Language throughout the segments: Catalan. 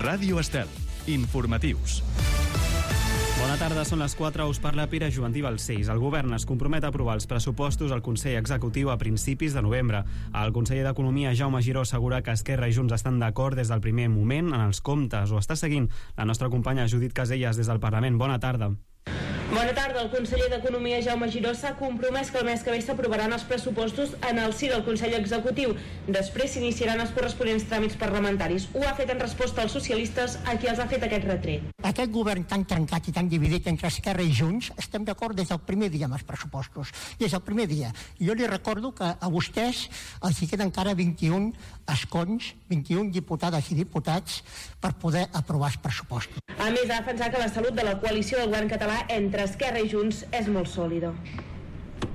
Ràdio Estel. Informatius. Bona tarda, són les 4, us parla Pere Joventí Balcells. El govern es compromet a aprovar els pressupostos al Consell Executiu a principis de novembre. El conseller d'Economia, Jaume Giró, assegura que Esquerra i Junts estan d'acord des del primer moment en els comptes. Ho està seguint la nostra companya Judit Caselles des del Parlament. Bona tarda. Bona tarda. El conseller d'Economia, Jaume Giró, s'ha compromès que el mes que ve s'aprovaran els pressupostos en el si del Consell Executiu. Després s'iniciaran els corresponents tràmits parlamentaris. Ho ha fet en resposta als socialistes, a qui els ha fet aquest retret. Aquest govern tan trencat i tan dividit entre Esquerra i Junts, estem d'acord des del primer dia amb els pressupostos. Des del primer dia. Jo li recordo que a vostès els hi queden encara 21 escons, 21 diputades i diputats per poder aprovar els pressupostos. A més, ha defensat que la salut de la coalició del govern català entre Esquerra i Junts és molt sòlida.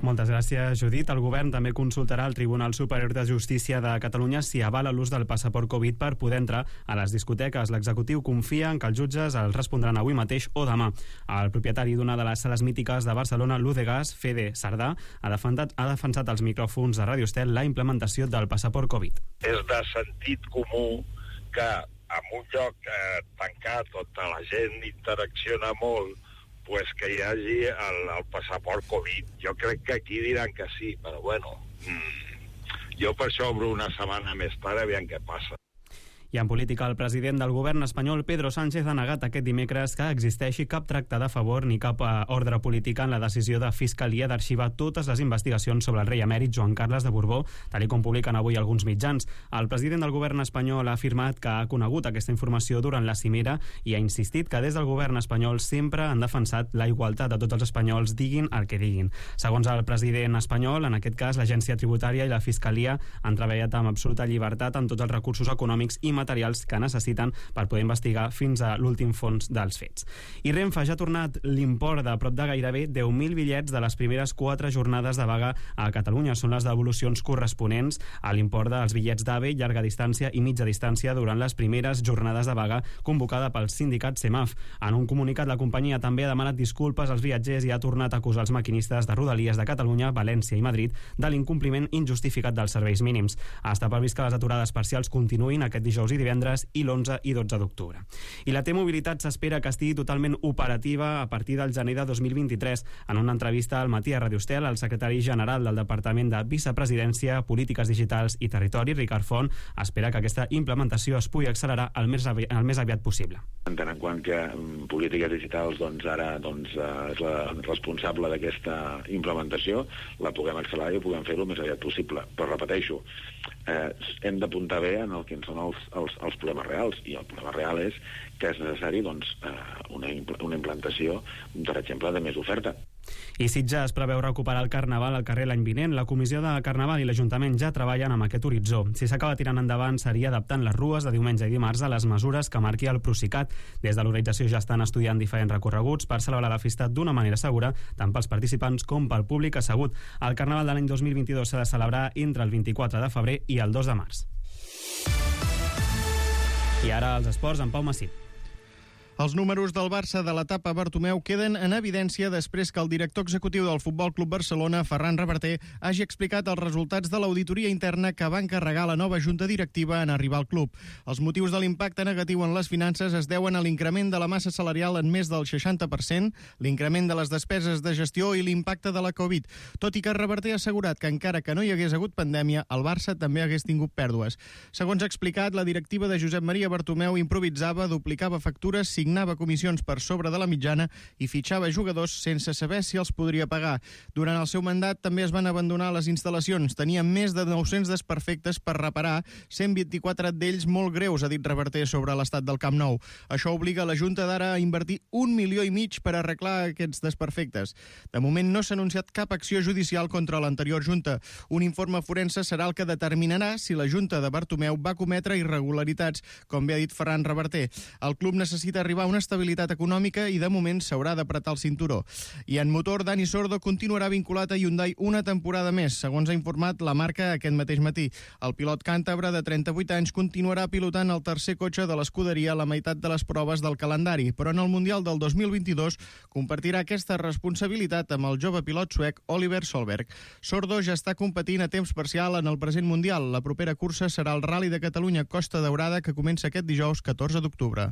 Moltes gràcies, Judit. El govern també consultarà el Tribunal Superior de Justícia de Catalunya si avala l'ús del passaport Covid per poder entrar a les discoteques. L'executiu confia en que els jutges els respondran avui mateix o demà. El propietari d'una de les sales mítiques de Barcelona, l'Udegas, Fede Sardà, ha defensat als micròfons de Ràdio Estel la implementació del passaport Covid. És de sentit comú que en un lloc tancat on la gent interacciona molt, pues que hi hagi el passaport Covid. Jo crec que aquí diran que sí, però bueno, jo per això obro una setmana més tard, aviam què passa. I en política, el president del govern espanyol, Pedro Sánchez, ha negat aquest dimecres que existeixi cap tracte de favor ni cap ordre política en la decisió de Fiscalia d'arxivar totes les investigacions sobre el rei emèrit Joan Carles de Borbó, tal com publiquen avui alguns mitjans. El president del govern espanyol ha afirmat que ha conegut aquesta informació durant la cimera i ha insistit que des del govern espanyol sempre han defensat la igualtat de tots els espanyols, diguin el que diguin. Segons el president espanyol, en aquest cas, l'Agència Tributària i la Fiscalia han treballat amb absoluta llibertat amb tots els recursos econòmics i materials que necessiten per poder investigar fins a l'últim fons dels fets. I Renfe ja ha tornat l'import de prop de gairebé 10.000 bitllets de les primeres 4 jornades de vaga a Catalunya. Són les devolucions corresponents a l'import dels bitllets d'AVE, llarga distància i mitja distància durant les primeres jornades de vaga convocada pel sindicat CEMAF. En un comunicat, la companyia també ha demanat disculpes als viatgers i ha tornat a acusar els maquinistes de Rodalies de Catalunya, València i Madrid de l'incompliment injustificat dels serveis mínims. Està previst que les aturades parcials continuïn aquest dijous i divendres i l'11 i 12 d'octubre. I la T-Mobilitat s'espera que estigui totalment operativa a partir del gener de 2023. En una entrevista al matí a Ràdio Estel, el secretari general del Departament de Vicepresidència, Polítiques Digitals i Territori, Ricard Font, espera que aquesta implementació es pugui accelerar el més aviat possible. En tant en quant que Polítiques Digitals ara és la responsable d'aquesta implementació, la puguem accelerar i puguem fer-ho el més aviat possible. Però repeteixo, hem d'apuntar bé en el que són els problemes reals, i el problema real és que és necessari una implantació, per exemple, de més oferta. I Sitges preveu recuperar el Carnaval al carrer l'any vinent. La Comissió de Carnaval i l'Ajuntament ja treballen amb aquest horitzó. Si s'acaba tirant endavant, seria adaptant les rues de diumenge i dimarts a les mesures que marqui el Procicat. Des de l'organització ja estan estudiant diferents recorreguts per celebrar la festa d'una manera segura, tant pels participants com pel públic assegut. El Carnaval de l'any 2022 s'ha de celebrar entre el 24 de febrer i el 2 de març. I ara els esports amb Pau Massip. Els números del Barça de l'etapa Bartomeu queden en evidència després que el director executiu del Futbol Club Barcelona, Ferran Reverter, hagi explicat els resultats de l'auditoria interna que va encarregar la nova junta directiva en arribar al club. Els motius de l'impacte negatiu en les finances es deuen a l'increment de la massa salarial en més del 60%, l'increment de les despeses de gestió i l'impacte de la Covid. Tot i que Reverter ha assegurat que encara que no hi hagués hagut pandèmia, el Barça també hagués tingut pèrdues. Segons ha explicat, la directiva de Josep Maria Bartomeu improvisava, duplicava factures, signava comissions per sobre de la mitjana i fitxava jugadors sense saber si els podria pagar. Durant el seu mandat també es van abandonar les instal·lacions. Tenien més de 900 desperfectes per reparar, 124 d'ells molt greus, ha dit Reverter sobre l'estat del Camp Nou. Això obliga la Junta d'ara a invertir 1,5 milions per arreglar aquests desperfectes. De moment no s'ha anunciat cap acció judicial contra l'anterior Junta. Un informe forense serà el que determinarà si la Junta de Bartomeu va cometre irregularitats, com bé ha dit Ferran Reverter. El club necessita arribar arribar a una estabilitat econòmica i de moment s'haurà d'apretar el cinturó. I en motor, Dani Sordo continuarà vinculat a Hyundai una temporada més, segons ha informat la marca aquest mateix matí. El pilot càntabre de 38 anys continuarà pilotant el tercer cotxe de l'escuderia a la meitat de les proves del calendari, però en el Mundial del 2022 compartirà aquesta responsabilitat amb el jove pilot suec Oliver Solberg. Sordo ja està competint a temps parcial en el present Mundial. La propera cursa serà el Rally de Catalunya Costa Daurada, que comença aquest dijous 14 d'octubre.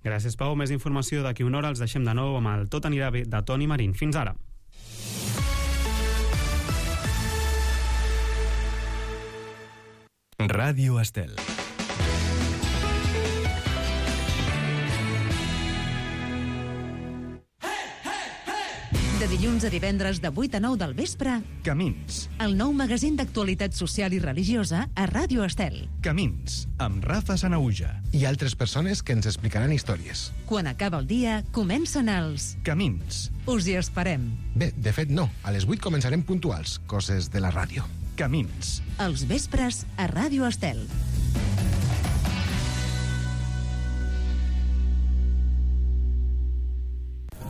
Gràcies, Pau. Més informació d'aquí una hora. Els deixem de nou amb el Tot anirà bé de Toni Marín. Fins ara. Ràdio Estel. De dilluns a divendres de 8 a 9 del vespre, Camins. el nou magazín d'actualitat social i religiosa a Ràdio Estel. Camins, amb Rafa Sanauja. I altres persones que ens explicaran històries. Quan acaba el dia, comencen els... Camins. Us hi esperem. Bé, de fet no. A les 8 començarem puntuals. Coses de la ràdio. Camins. Els vespres a Ràdio Estel.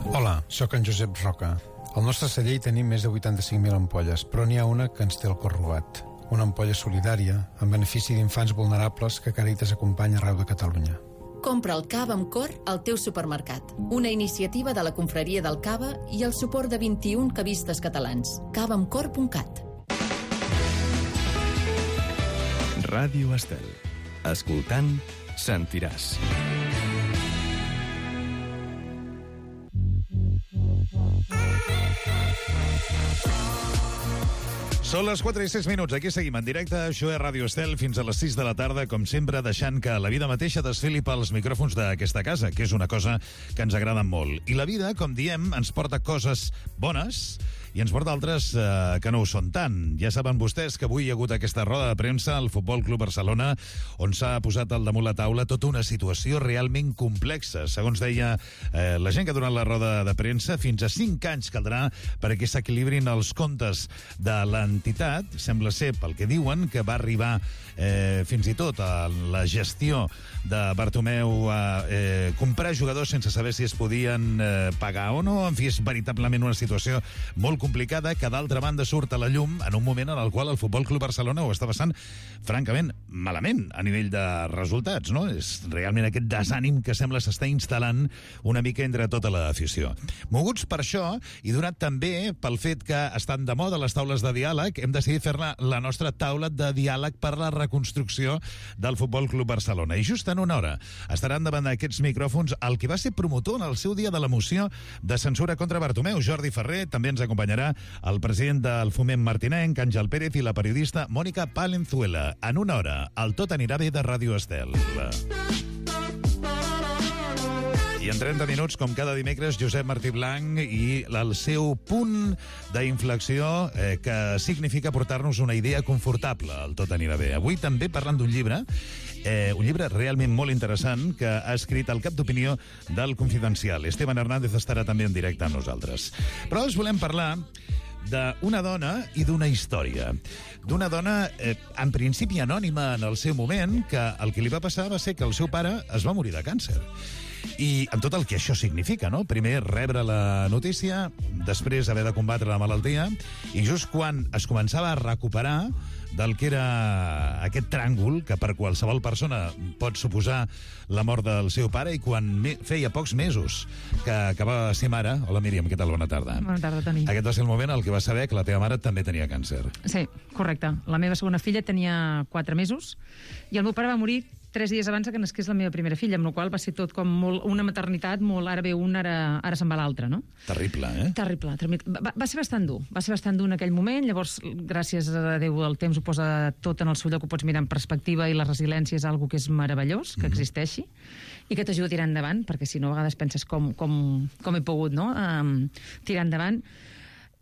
Hola, sóc en Josep Roca. Al nostre celler hi tenim més de 85.000 ampolles, però n'hi ha una que ens té el cor robat. Una ampolla solidària, en benefici d'infants vulnerables que Càritas acompanya arreu de Catalunya. Compra el cava amb cor al teu supermercat. Una iniciativa de la Confraria del Cava i el suport de 21 cavistes catalans. cavaamcor.cat. Ràdio Estel. Escoltant, sentiràs. Són les 4 i 6 minuts. Aquí seguim en directe. Això és Ràdio Estel fins a les 6 de la tarda, com sempre, deixant que la vida mateixa desfili pels micròfons d'aquesta casa, que és una cosa que ens agrada molt. I la vida, com diem, ens porta coses bones i ens porta altres que no ho són tant. Ja saben vostès que avui hi ha hagut aquesta roda de premsa al Futbol Club Barcelona, on s'ha posat al damunt la taula tota una situació realment complexa. Segons deia la gent que ha donat la roda de premsa, fins a 5 anys caldrà perquè s'equilibrin els comptes de l'entitat. Sembla ser, pel que diuen, que va arribar fins i tot a la gestió de Bartomeu a comprar jugadors sense saber si es podien pagar o no. En fi, és veritablement una situació molt complicada, que d'altra banda surt a la llum en un moment en el qual el Futbol Club Barcelona ho està passant francament malament a nivell de resultats, no? És realment aquest desànim que sembla s'està instal·lant una mica entre tota l'afició. Moguts per això, i donat també pel fet que estan de moda les taules de diàleg, hem decidit fer-ne la nostra taula de diàleg per la reconstrucció del Futbol Club Barcelona. I just en una hora estaran davant d'aquests micròfons el que va ser promotor en el seu dia de la moció de censura contra Bartomeu, Jordi Ferrer. També ens acompanyarà el president del Foment martinenc, Àngel Pérez, i la periodista Mònica Palenzuela. En una hora, el Tot anirà bé de Ràdio Estel. I en 30 minuts, com cada dimecres, Josep Martí Blanc i el seu punt d'inflexió que significa portar-nos una idea confortable. El Tot anirà bé. Avui també parlant d'un llibre realment molt interessant que ha escrit el cap d'opinió del Confidencial. Esteban Hernández estarà també en directe amb nosaltres. Però us volem parlar d'una dona i d'una història. D'una dona, en principi anònima en el seu moment, que el que li va passar va ser que el seu pare es va morir de càncer. I amb tot el que això significa, no? Primer rebre la notícia, després haver de combatre la malaltia, i just quan es començava a recuperar del que era aquest tràngol que per qualsevol persona pot suposar la mort del seu pare, i quan feia pocs mesos que acabava de ser mare... Hola, Míriam, què tal? Bona tarda. Bona tarda, Toni. Aquest va ser el moment en què va saber que la teva mare també tenia càncer. Sí, correcte. La meva segona filla tenia 4 mesos i el meu pare va morir 3 dies abans que nasqués la meva primera filla, amb la qual va ser tot com molt, una maternitat molt ara ve un, ara se'n va l'altre, no? Terrible, eh? Terrible. Va ser bastant dur. Va ser bastant dur en aquell moment. Llavors, gràcies a Déu, el temps ho posa tot en el seu lloc, ho pots mirar en perspectiva, i la resiliència és algo que és meravellós, que existeixi, i que t'ajuda a tirar endavant, perquè si no, a vegades penses com he pogut, no? Tirar endavant.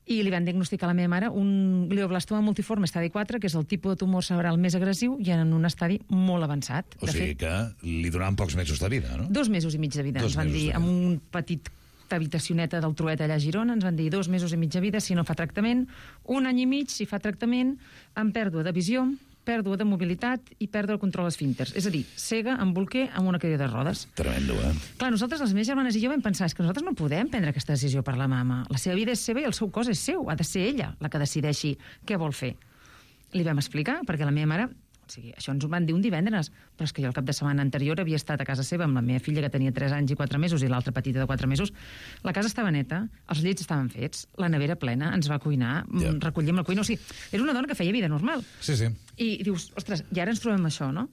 I li van diagnosticar a la meva mare un glioblastoma multiforme estadi 4, que és el tipus de tumor cerebral més agressiu, i en un estadi molt avançat. O sigui que li donaven pocs mesos de vida, no? 2 mesos i mig de vida, ens van dir, amb un petit habitacioneta del Trueta allà a Girona, ens van dir 2 mesos i mig de vida si no fa tractament, 1 any i mig si fa tractament, amb pèrdua de visió, pèrdua de mobilitat i pèrdua el control esfínters. És a dir, cega amb bolquer amb una cadira de rodes. Tremendo, eh? Clar, nosaltres, les meves germanes i jo, vam pensar que nosaltres no podem prendre aquesta decisió per la mama. La seva vida és seva i el seu cos és seu. Ha de ser ella la que decideixi què vol fer. Li vam explicar, perquè la meva mare... O sigui, això ens ho van dir un divendres, però és que jo el cap de setmana anterior havia estat a casa seva amb la meva filla, que tenia 3 anys i 4 mesos, i l'altra petita de 4 mesos. La casa estava neta, els llits estaven fets, la nevera plena, ens va cuinar, recollíem la cuina... O sigui, era una dona que feia vida normal. Sí, sí. I dius, ostres, i ara ens trobem això, no?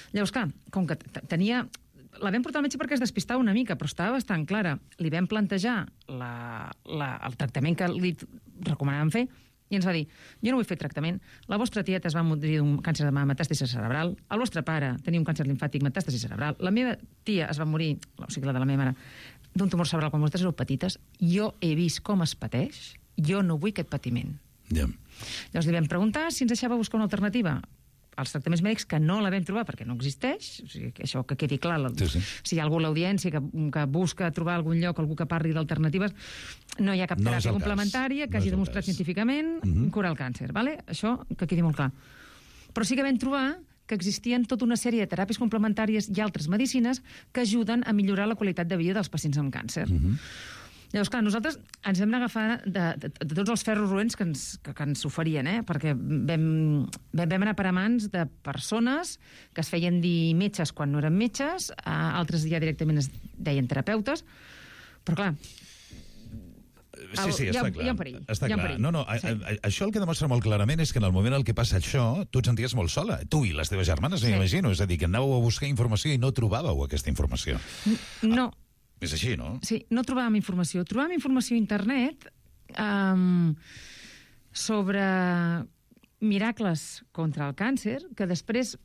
Llavors, clar, com que tenia... La vam portar al metge perquè es despistava una mica, però estava bastant clara. Li vam plantejar el tractament que li recomanàvem fer, i ens va dir, jo no vull fer tractament, la vostra tieta es va morir d'un càncer de mama metàstasi cerebral, el vostre pare tenia un càncer limfàtic metàstasi cerebral, la meva tia es va morir, o sigui, la de la meva mare, d'un tumor cerebral quan vosaltres éreu petites, jo he vist com es pateix, jo no vull aquest patiment. Llavors li vam preguntar si ens deixava buscar una alternativa als tractaments mèdics, que no la vam trobar perquè no existeix, o sigui, això que quedi clar, si hi ha algú a l'audiència que busca trobar algun lloc, algú que parli d'alternatives, no hi ha cap teràpia complementària que hagi demostrat científicament curar el càncer, ¿vale? Això que quedi molt clar. Però sí que vam trobar que existien tota una sèrie de teràpies complementàries i altres medicines que ajuden a millorar la qualitat de vida dels pacients amb càncer. Llavors, clar, nosaltres ens vam agafar de tots els ferros roents que ens oferien, perquè vam anar per a mans de persones que es feien dir metges quan no eren metges, altres ja directament es deien terapeutes, però clar... Sí, està clar. Hi ha un perill. Està clar. No, això el que demostra molt clarament és que en el moment en què passa això, tu et senties molt sola. Tu i les teves germanes, m'imagino. És a dir, que anàveu a buscar informació i no trobàveu aquesta informació. No. És així, no? Sí, no trobàvem informació. Trobàvem informació a internet sobre miracles contra el càncer, que després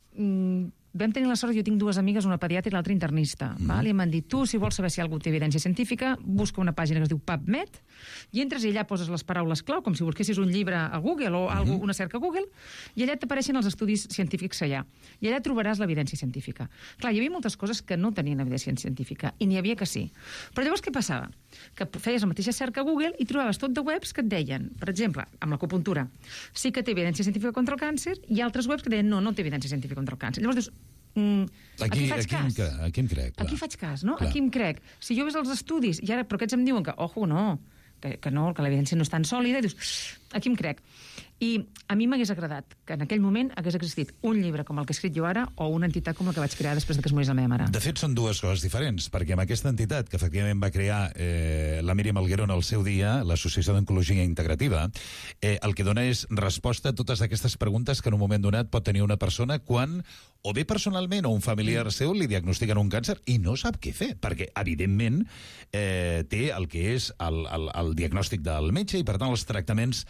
vam tenir la sort, jo tinc 2 amigues, una pediatra i l'altra internista, i em van dir, tu, si vols saber si algú té evidència científica, busca una pàgina que es diu PubMed, i entres i allà poses les paraules clau, com si busquessis un llibre a Google o una cerca a Google, i allà t'apareixen els estudis científics que hi ha. I allà trobaràs l'evidència científica. Clar, hi havia moltes coses que no tenien evidència científica, i n'hi havia que sí. Però llavors què passava? Que feies la mateixa cerca a Google i trobaves tot de webs que et deien, per exemple, amb l'acupuntura, sí que té evidència científica contra el càncer, i altres webs que deien, no té evidència científica contra el càncer. Llavors dius, aquí faig cas. Aquí em crec. Aquí faig cas, no? Aquí em crec. Si jo ves els estudis, i ara, però aquests em diuen que, ojo, no, que l'evidència no és tan sòlida, i dius, aquí em crec. I a mi m'hagués agradat que en aquell moment hagués existit un llibre com el que he escrit jo ara o una entitat com la que vaig crear després que es morís la meva mare. De fet, són 2 coses diferents, perquè amb aquesta entitat que efectivament va crear la Míriam Alguero en el seu dia, l'Associació d'Oncologia Integrativa, el que dona és resposta a totes aquestes preguntes que en un moment donat pot tenir una persona quan o bé personalment o un familiar seu li diagnostiquen un càncer i no sap què fer, perquè evidentment té el que és el diagnòstic del metge i per tant els tractaments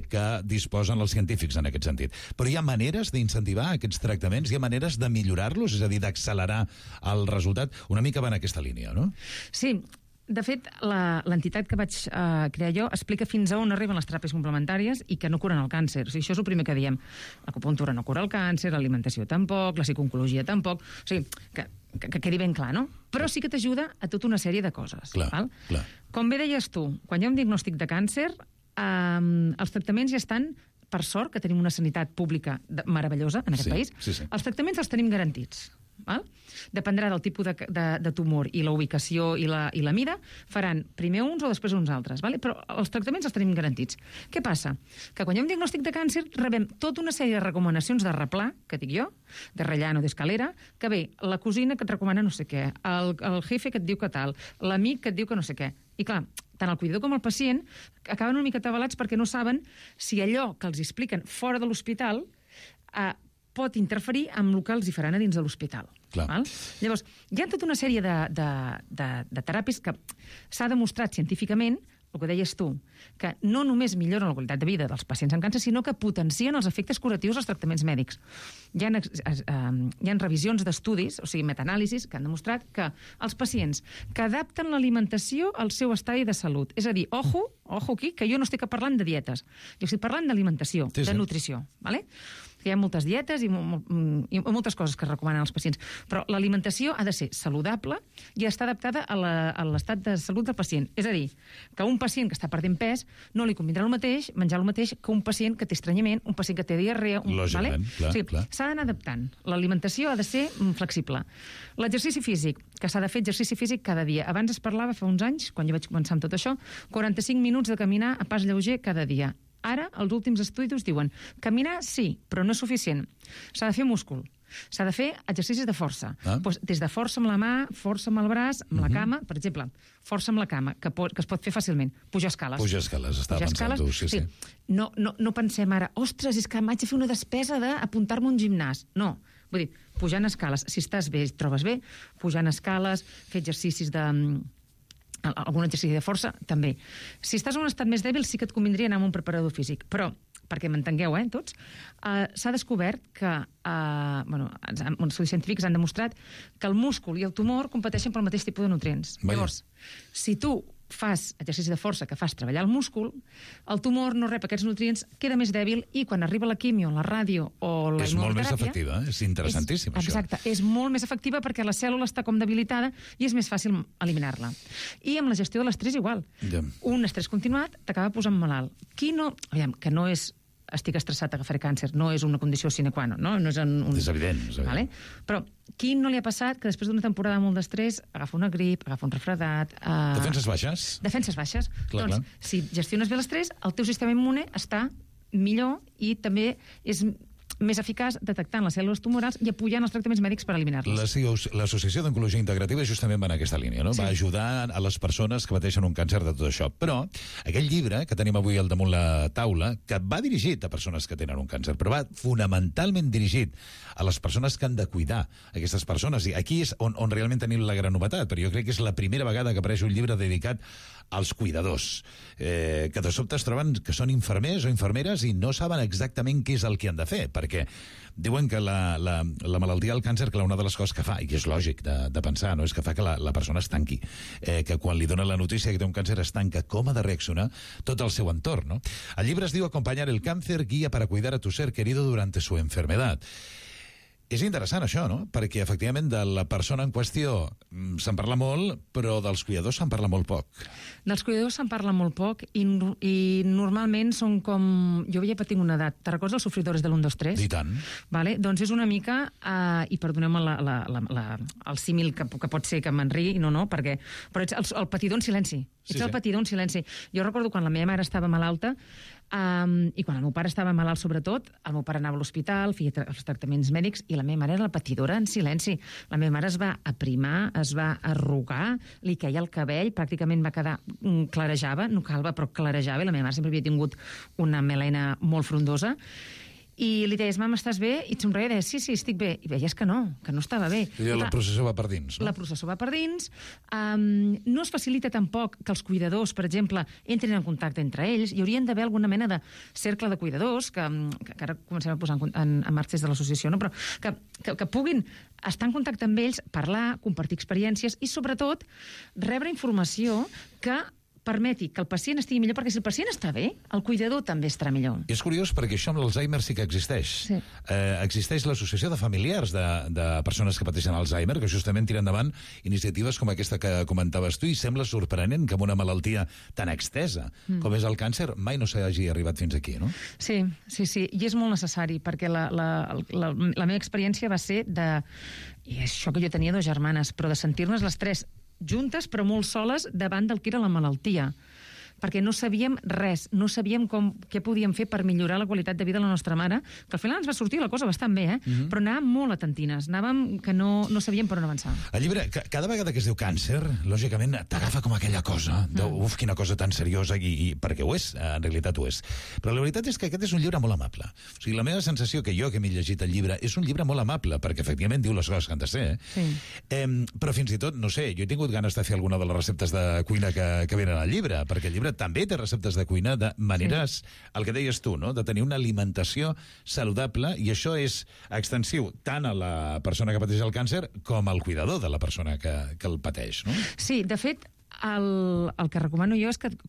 que disposen els científics en aquest sentit. Però hi ha maneres d'incentivar aquests tractaments, hi ha maneres de millorar-los, és a dir, d'accelerar el resultat. Una mica va en aquesta línia, no? Sí. De fet, l'entitat que vaig crear jo explica fins a on arriben les teràpies complementàries i que no curen el càncer. O sigui, això és el primer que diem. L'acupuntura no cura el càncer, l'alimentació tampoc, la psiconcologia tampoc. O sigui, que quedi ben clar, no? Però sí que t'ajuda a tota una sèrie de coses. Clar. Com bé deies tu, quan hi ha un diagnòstic de càncer, els tractaments ja estan, per sort, que tenim una sanitat pública meravellosa en aquest país. Els tractaments els tenim garantits. Dependrà del tipus de tumor i la ubicació i la mida, faran primer uns o després uns altres, però els tractaments els tenim garantits. Què passa? Que quan hi ha un diagnòstic de càncer rebem tota una sèrie de recomanacions de replà, que dic jo, de Rellano, d'Escalera, que ve la cosina que et recomana no sé què, el jefe que et diu que tal, l'amic que et diu que no sé què. I clar, tant el cuidador com el pacient acaben una mica atabalats perquè no saben si allò que els expliquen fora de l'hospital pot interferir amb el que els hi faran a dins de l'hospital. Llavors, hi ha tota una sèrie de teràpies que s'ha demostrat científicament, el que deies tu, que no només milloren la qualitat de vida dels pacients amb càncer, sinó que potencien els efectes curatius dels tractaments mèdics. Hi ha revisions d'estudis, o sigui, metanàlisis, que han demostrat que els pacients que adapten l'alimentació al seu estadi de salut, és a dir, ojo aquí, que jo no estic parlant de dietes, jo estic parlant d'alimentació, de nutrició, que hi ha moltes dietes i moltes coses que es recomanen als pacients, però l'alimentació ha de ser saludable i està adaptada a l'estat de salut del pacient. És a dir, que un pacient que està perdent pes no li convindrà el mateix, menjar el mateix que un pacient que té estranyament, un pacient que té diarrea... Lògicament, clar. S'ha d'anar adaptant. L'alimentació ha de ser flexible. L'exercici físic, que s'ha de fer exercici físic cada dia. Abans es parlava, fa uns anys, quan jo vaig començar amb tot això, 45 minuts de caminar a pas lleuger cada dia. Ara, els últims estudis diuen caminar sí, però no és suficient. S'ha de fer múscul. S'ha de fer exercicis de força. Pues, des de força amb la mà, força amb el braç, amb la cama, per exemple, força amb la cama, que es pot fer fàcilment. Pujar escales. Pujar escales, estava pensant tu, sí. No pensem ara, ostres, és que m'haig de fer una despesa d'apuntar-me a un gimnàs. No, vull dir, pujant escales. Si estàs bé, et trobes bé, pujant escales, fer exercicis algun exercici de força, també. Si estàs en un estat més dèbil, sí que et convindria anar amb un preparador físic. Però, perquè m'entengueu, tots, s'ha descobert que, els estudis científics han demostrat que el múscul i el tumor competeixen pel mateix tipus de nutrients. Llavors, si tu fas exercici de força, que fas treballar el múscul, el tumor no rep aquests nutrients, queda més dèbil i quan arriba la quimio, la ràdio o la immunoteràpia... És molt més efectiva, és interessantíssim, això. Exacte, és molt més efectiva perquè la cèl·lula està com debilitada i és més fàcil eliminar-la. I amb la gestió de l'estrès igual. Un estrès continuat t'acaba posant malalt. Que no és estic estressat, agafaré càncer, no és una condició sine qua non, no? És evident. Vale? Però qui no li ha passat que després d'una temporada molt d'estrès agafa una grip, agafa un refredat... Defenses baixes. Defenses baixes. Clar. Si gestiones bé l'estrès, el teu sistema immune està millor i també és més eficaç detectant les cèl·lules tumorals i apoyant els tractaments mèdics per eliminar-les. L'Associació d'Oncologia Integrativa justament va en aquesta línia, no? Sí. Va ajudar a les persones que pateixen un càncer de tot això. Però aquell llibre que tenim avui al damunt la taula, que va dirigit a persones que tenen un càncer, però va fonamentalment dirigit a les persones que han de cuidar aquestes persones. I aquí és on realment tenim la gran novetat, però jo crec que és la primera vegada que apareix un llibre dedicat als cuidadors, que de sobte es troben que són infermers o infermeres i no saben exactament què és el que han de fer, perquè diuen que la malaltia del càncer, que una de les coses que fa, i és lògic de pensar, no és que fa que la persona es tanqui, que quan li dona la notícia que té un càncer es tanca, com ha de reaccionar tot el seu entorn, no? El llibre es diu Acompañar el cáncer, guía para cuidar a tu ser querido durante su enfermedad. És interessant això, no? Perquè, efectivament, de la persona en qüestió se'n parla molt, però dels cuidadors se'n parla molt poc. Dels cuidadors se'n parla molt poc i normalment són com... Jo havia patit una edat. Te recordes els sofridores de l'1, 2, 3? I tant. Vale? Doncs és una mica... I perdoneu-me el símil que pot ser que m'enriï, perquè... Però ets el patidor en silenci. Ets el patidor en silenci. Jo recordo quan la meva mare estava malalta i quan el meu pare estava malalt, sobretot, el meu pare anava a l'hospital, feia els tractaments mèdics i la meva mare era la patidora en silenci. La meva mare es va aprimar, es va arrugar, li queia el cabell, pràcticament va quedar... clarejava, no calva, però clarejava, i la meva mare sempre havia tingut una melena molt frondosa. I li deies, mama, estàs bé? I et somreia i deia, sí, estic bé. I veies que no estava bé. I la processó va per dins, no? La processó va per dins. No es facilita tampoc que els cuidadors, per exemple, entrin en contacte entre ells. Hi haurien d'haver alguna mena de cercle de cuidadors, que ara comencem a posar en marxa des de l'associació, no? Però que puguin estar en contacte amb ells, parlar, compartir experiències i, sobretot, rebre informació que permeti que el pacient estigui millor, perquè si el pacient està bé, el cuidador també estarà millor. És curiós perquè això amb l'Alzheimer sí que existeix. Sí. Existeix l'associació de familiars de persones que pateixen Alzheimer, que justament tira endavant iniciatives com aquesta que comentaves tu, i sembla sorprenent que amb una malaltia tan extesa com és el càncer mai no s'hagi arribat fins aquí, no? Sí, i és molt necessari, perquè la meva experiència va ser i això que jo tenia 2 germanes, però de sentir-nos les 3 juntes però molt soles davant del que era la malaltia, perquè no sabíem res, no sabíem què podíem fer per millorar la qualitat de vida de la nostra mare, que al final ens va sortir la cosa bastant bé, però anàvem molt atentines, anàvem que no sabíem per on avançar. El llibre, cada vegada que es diu càncer, lògicament t'agafa com aquella cosa, uf, quina cosa tan seriosa, i perquè ho és, en realitat ho és. Però la veritat és que aquest és un llibre molt amable. O sigui, la meva sensació, que jo que m'he llegit el llibre, és un llibre molt amable, perquè efectivament diu les coses que han de ser, però fins i tot, no sé, jo he tingut ganes de fer alguna de les receptes de cuina que venen al llibre, perquè el llibre també té receptes de cuina de maneres, el que deies tu, no? De tenir una alimentació saludable, i això és extensiu tant a la persona que pateix el càncer com al cuidador de la persona que el pateix, no? Sí, de fet, el que recomano jo és que des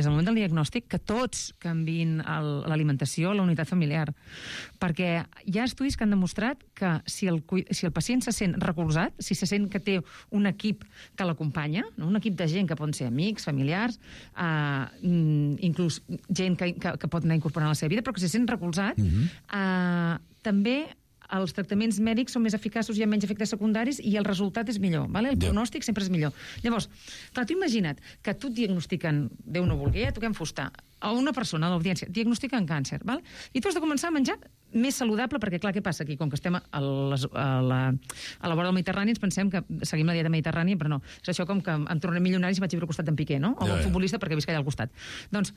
del moment del diagnòstic, que tots canviïn l'alimentació a la unitat familiar, perquè hi ha estudis que han demostrat que si el pacient se sent recolzat, si se sent que té un equip que l'acompanya, no? Un equip de gent que poden ser amics, familiars, inclús gent que pot anar incorporant a la seva vida, però que se sent recolzat, també els tractaments mèdics són més eficaços, hi ha menys efectes secundaris i el resultat és millor, ¿vale? El pronòstic sempre és millor. Llavors, clar, tu imagina't que tu et diagnostiquen, Déu no vulgui, toquem fusta, a una persona, a l'audiència, diagnostiquen càncer, ¿vale? I tu has de començar a menjar més saludable, perquè clar, què passa aquí? Com que estem a la vora del Mediterrani, ens pensem que seguim la dieta mediterrània, però no. És això com que em tornaré milionari si vaig a viure al costat d'en Piqué, no? O un futbolista perquè visc allà al costat. Doncs,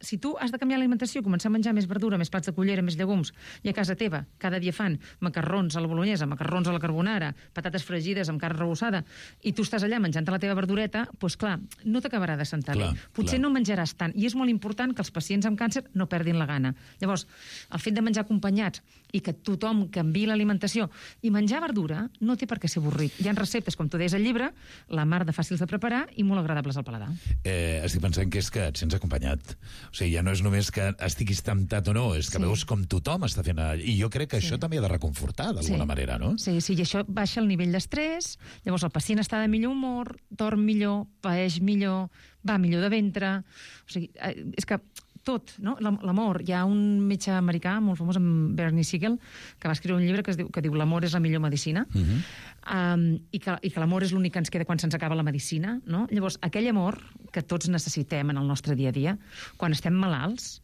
si tu has de canviar l'alimentació, començar a menjar més verdura, més plats de cullera, més llegums, i a casa teva cada dia fan macarrons a la bolognesa, macarrons a la carbonara, patates fregides amb carn rebossada, i tu estàs allà menjant la teva verdureta, doncs clar, no t'acabarà de sentar bé. Potser no menjaràs tant, i és molt important que els pacients amb càncer no perdin la gana. Llavors, el fet de menjar acompanyats i que tothom canviï l'alimentació i menjar verdura no té per què ser avorrit. Hi ha receptes, com tu deies al llibre, la mar de fàcils de preparar i molt agradables al paladar. Estic pensant que és que et sents acompanyat. O sigui, ja no és només que estiguis temptat o no, és que veus com tothom està fent... I jo crec que això també ha de reconfortar, d'alguna manera, no? Sí, i això baixa el nivell d'estrès, llavors el pacient està de millor humor, dorm millor, paeix millor, va millor de ventre... O sigui, és que tot, no? L'amor. Hi ha un metge americà molt famós, en Bernie Siegel, que va escriure un llibre que diu l'amor és la millor medicina, i que l'amor és l'únic que ens queda quan se'ns acaba la medicina, no? Llavors, aquell amor que tots necessitem en el nostre dia a dia, quan estem malalts,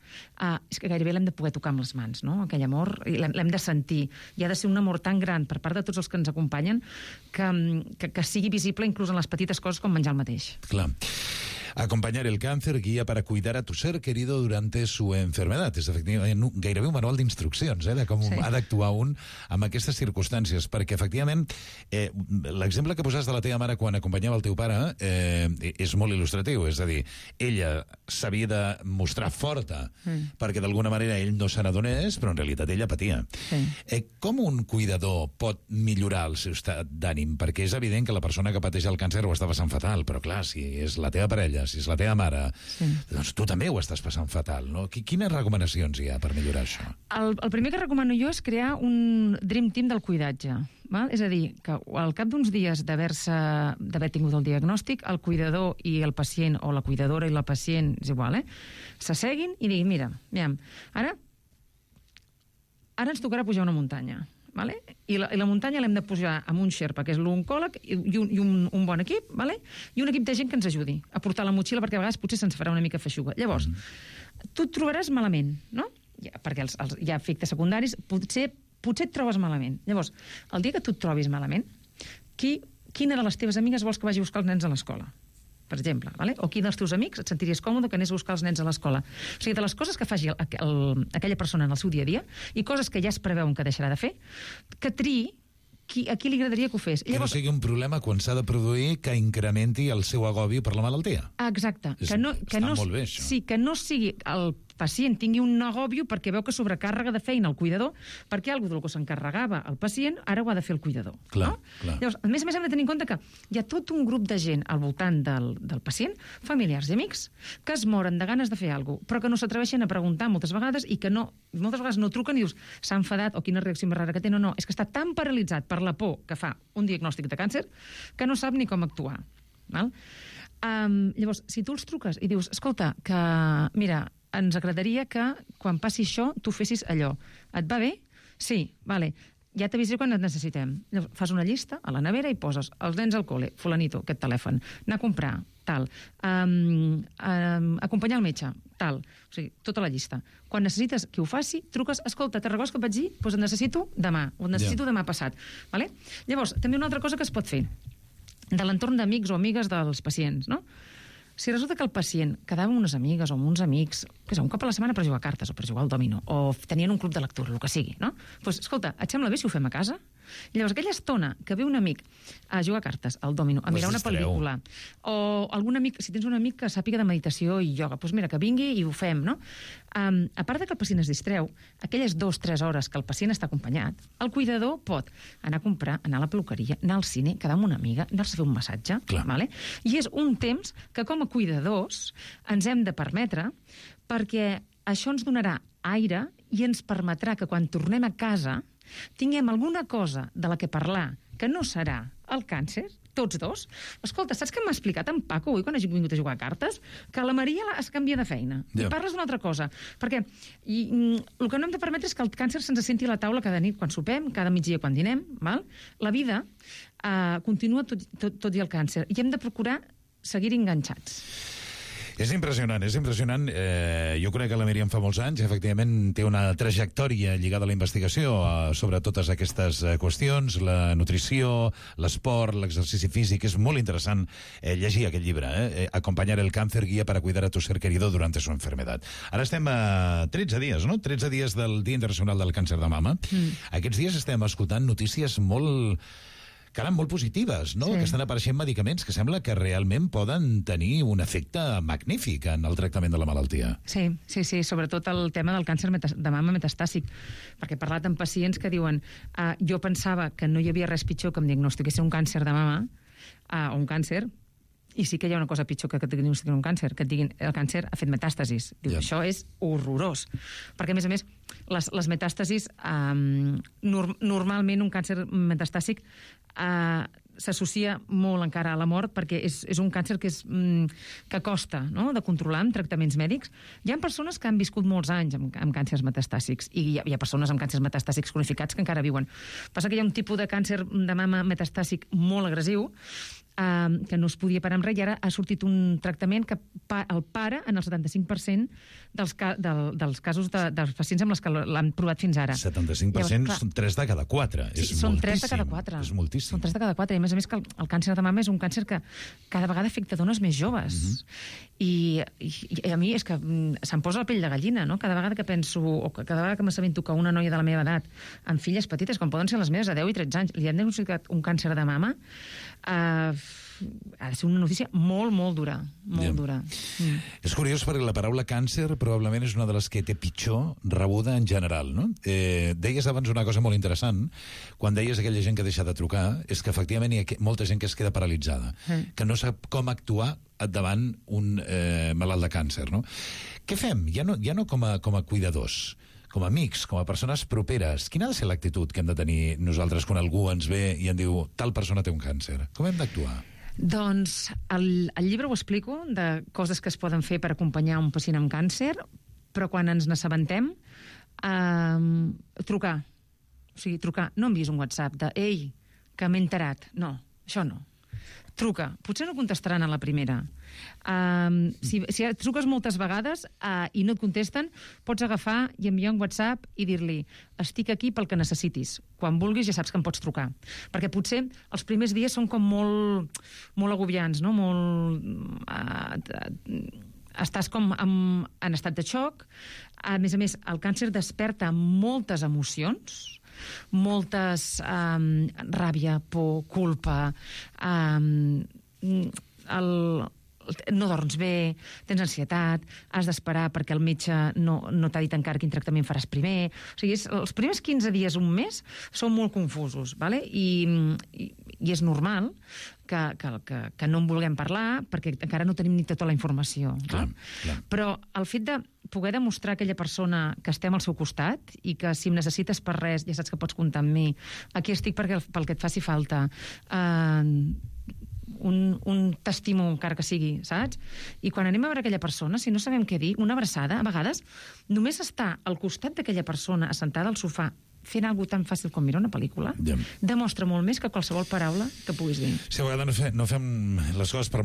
és que gairebé l'hem de poder tocar amb les mans, no? Aquell amor, l'hem de sentir. I ha de ser un amor tan gran per part de tots els que ens acompanyen que sigui visible inclús en les petites coses com menjar el mateix. Clar. Acompañar el cáncer, guía para cuidar a tu ser querido durante su enfermedad. És efectivament gairebé un manual d'instruccions de com ha d'actuar un amb aquestes circumstàncies, perquè efectivament l'exemple que poses de la teva mare quan acompanyava el teu pare és molt il·lustratiu, és a dir, ella s'havia de mostrar forta perquè d'alguna manera ell no se n'adonés, però en realitat ella patia. Com un cuidador pot millorar el seu estat d'ànim? Perquè és evident que la persona que pateix el càncer ho està passant fatal, però clar, si és la teva parella, si és la teva mare, doncs tu també ho estàs passant fatal, no? Quines recomanacions hi ha per millorar això? El primer que recomano jo és crear un Dream Team del cuidatge. Val? És a dir, que al cap d'uns dies d'haver tingut el diagnòstic, el cuidador i el pacient, o la cuidadora i la pacient, és igual, s'asseguin i diguin, mira, ara ens tocarà pujar una muntanya. Vale? I la muntanya l'hem de pujar amb un xerpa, que és l'oncòleg, i un bon equip, vale? I un equip de gent que ens ajudi a portar la motxilla, perquè a vegades potser se'ns farà una mica feixuga. Llavors, tu et trobaràs malament, no? Perquè hi ha efectes secundaris, potser et trobes malament. Llavors, el dia que tu et trobis malament, quina de les teves amigues vols que vagi a buscar els nens a l'escola? Per exemple, vale? O quin dels teus amics et sentiries còmode que anés a buscar els nens a l'escola. O sigui, de les coses que faci aquella persona en el seu dia a dia i coses que ja es preveuen que deixarà de fer, que triï a qui li agradaria que ho fes. Que no sigui un problema quan s'ha de produir que incrementi el seu agobi per la malaltia. Exacte. Està molt bé, això. Sí, que no sigui el pacient tingui un agòbio perquè veu que sobrecàrrega de feina el cuidador, perquè alguna del que s'encarregava el pacient ara ho ha de fer el cuidador. Clar. Llavors, a més hem de tenir en compte que hi ha tot un grup de gent al voltant del pacient, familiars i amics, que es moren de ganes de fer alguna cosa, però que no s'atreveixen a preguntar moltes vegades i que moltes vegades no truquen i dius s'ha enfadat o quina reacció més rara que té. No, és que està tan paralitzat per la por que fa un diagnòstic de càncer que no sap ni com actuar. Val? Llavors, si tu els truques i dius, escolta, que mira, ens agradaria que quan passi això tu fessis allò. Et va bé? Sí, vale. Ja t'avisaré quan et necessitem. Llavors, fas una llista a la nevera i poses els nens al col·le, fulanito, aquest telèfon, anar a comprar, tal, acompanyar el metge, tal. O sigui, tota la llista. Quan necessites que ho faci, truques, escolta, te'n recordes que et vaig dir? Doncs et necessito demà, o et necessito demà passat. Vale? Llavors, també una altra cosa que es pot fer de l'entorn d'amics o amigues dels pacients, no? Si resulta que el pacient quedava amb unes amigues o amb uns amics, que és un cop a la setmana per jugar a cartes o per jugar al dòmino, o tenien un club de lectura, el que sigui, no? Doncs, escolta, et sembla bé si ho fem a casa? Llavors, aquella estona que ve un amic a jugar a cartes, al dòmino, a mirar una pel·lícula, o algun amic, si tens un amic que sàpiga de meditació i ioga, doncs mira, que vingui i ho fem, no? A part de que el pacient es distreu, aquelles 2-3 hores que el pacient està acompanyat, el cuidador pot anar a comprar, anar a la peluqueria, anar al cine, quedar amb una amiga, anar-se a fer un massatge, vale? I és un temps que com a cuidadors ens hem de permetre, perquè això ens donarà aire i ens permetrà que quan tornem a casa tinguem alguna cosa de la que parlar que no serà el càncer, tots dos. Escolta, saps què m'ha explicat en Paco avui quan he vingut a jugar a cartes? Que la Maria es canvia de feina. I parles d'una altra cosa. Perquè el que no hem de permetre és que el càncer se'ns senti a la taula cada nit quan sopem, cada migdia quan dinem. Val? La vida continua tot i el càncer. I hem de procurar seguir enganxats. És impressionant, és impressionant. Jo conec que la Míriam fa molts anys, efectivament té una trajectòria lligada a la investigació sobre totes aquestes qüestions, la nutrició, l'esport, l'exercici físic. És molt interessant llegir aquest llibre, Acompanyar el cáncer, guia para cuidar a tu ser querido durante su enfermedad. Ara estem a 13 dies, no? 13 dies del Dia Internacional del Càncer de Mama. Aquests dies estem escoltant notícies molt positives, no? Que estan apareixent medicaments que sembla que realment poden tenir un efecte magnífic en el tractament de la malaltia. Sí, sobretot el tema del càncer de mama metastàsic, perquè he parlat amb pacients que diuen jo pensava que no hi havia res pitjor que em diagnostiquessin un càncer de mama o un càncer, i sí que hi ha una cosa pitjor que et diagnostiquin un càncer, que et diguin el càncer ha fet metàstasis. Diu, això és horrorós. Perquè, a més, les metàstasis, normalment un càncer metastàsic s'associa molt encara a la mort perquè és un càncer que costa, no?, de controlar amb tractaments mèdics. Hi ha persones que han viscut molts anys amb càncers metastàsics i hi ha persones amb càncers metastàsics cronificats que encara viuen. Passa que hi ha un tipus de càncer de mama metastàsic molt agressiu que no es podia parar amb res i ara ha sortit un tractament que el para en el 75% dels casos dels pacients amb els que l'han provat fins ara. 75% són 3 de cada 4. Són 3 de cada 4. És moltíssim. Són 3 de cada 4. I a més que el càncer de mama és un càncer que cada vegada afecta dones més joves. I a mi és que se'm posa la pell de gallina, no? Cada vegada que penso, o cada vegada que m'assabento que una noia de la meva edat, amb filles petites, com poden ser les meves, de 10 i 13 anys, li han diagnosticat un càncer de mama, ha de ser una notícia molt, molt dura. Molt dura. És curiós perquè la paraula càncer probablement és una de les que té pitjor rebuda en general, no? Deies abans una cosa molt interessant, quan deies aquella gent que deixa de trucar, és que efectivament hi ha molta gent que es queda paralitzada, que no sap com actuar davant un malalt de càncer, no? Què fem? Ja no com a cuidadors, com a amics, com a persones properes. Quina ha de ser l'actitud que hem de tenir nosaltres quan algú ens ve i ens diu tal persona té un càncer? Com hem d'actuar? Doncs el llibre ho explico, de coses que es poden fer per acompanyar un pacient amb càncer, però quan ens n'assabentem, trucar. O sigui, trucar. No envies un WhatsApp de «Ei, que m'he enterat». No, això no. Truca. Potser no contestaran a la primera. Si truques moltes vegades i no et contesten, pots agafar i enviar un WhatsApp i dir-li «Estic aquí pel que necessitis. Quan vulguis ja saps que em pots trucar». Perquè potser els primers dies són com molt agobiants, no? Estàs com en estat de xoc. A més, el càncer desperta moltes emocions, moltes ràbia, por, culpa, no dorms bé, tens ansietat, has d'esperar perquè el metge no t'ha dit encara quin tractament faràs primer. O sigui, els primers 15 dies, un mes, són molt confusos, ¿vale? I és normal que no en vulguem parlar perquè encara no tenim ni tota la informació. Clar. Però el fet de poder demostrar a aquella persona que estem al seu costat i que si em necessites per res ja saps que pots comptar amb mi, aquí estic pel que et faci falta, un t'estimo encara que sigui, saps? I quan anem a veure aquella persona, si no sabem què dir, una abraçada, a vegades, només estar al costat d'aquella persona assentada al sofà fent alguna tan fàcil com mirar una pel·lícula, demostra molt més que qualsevol paraula que puguis dir. Sí, a vegades no fem les coses per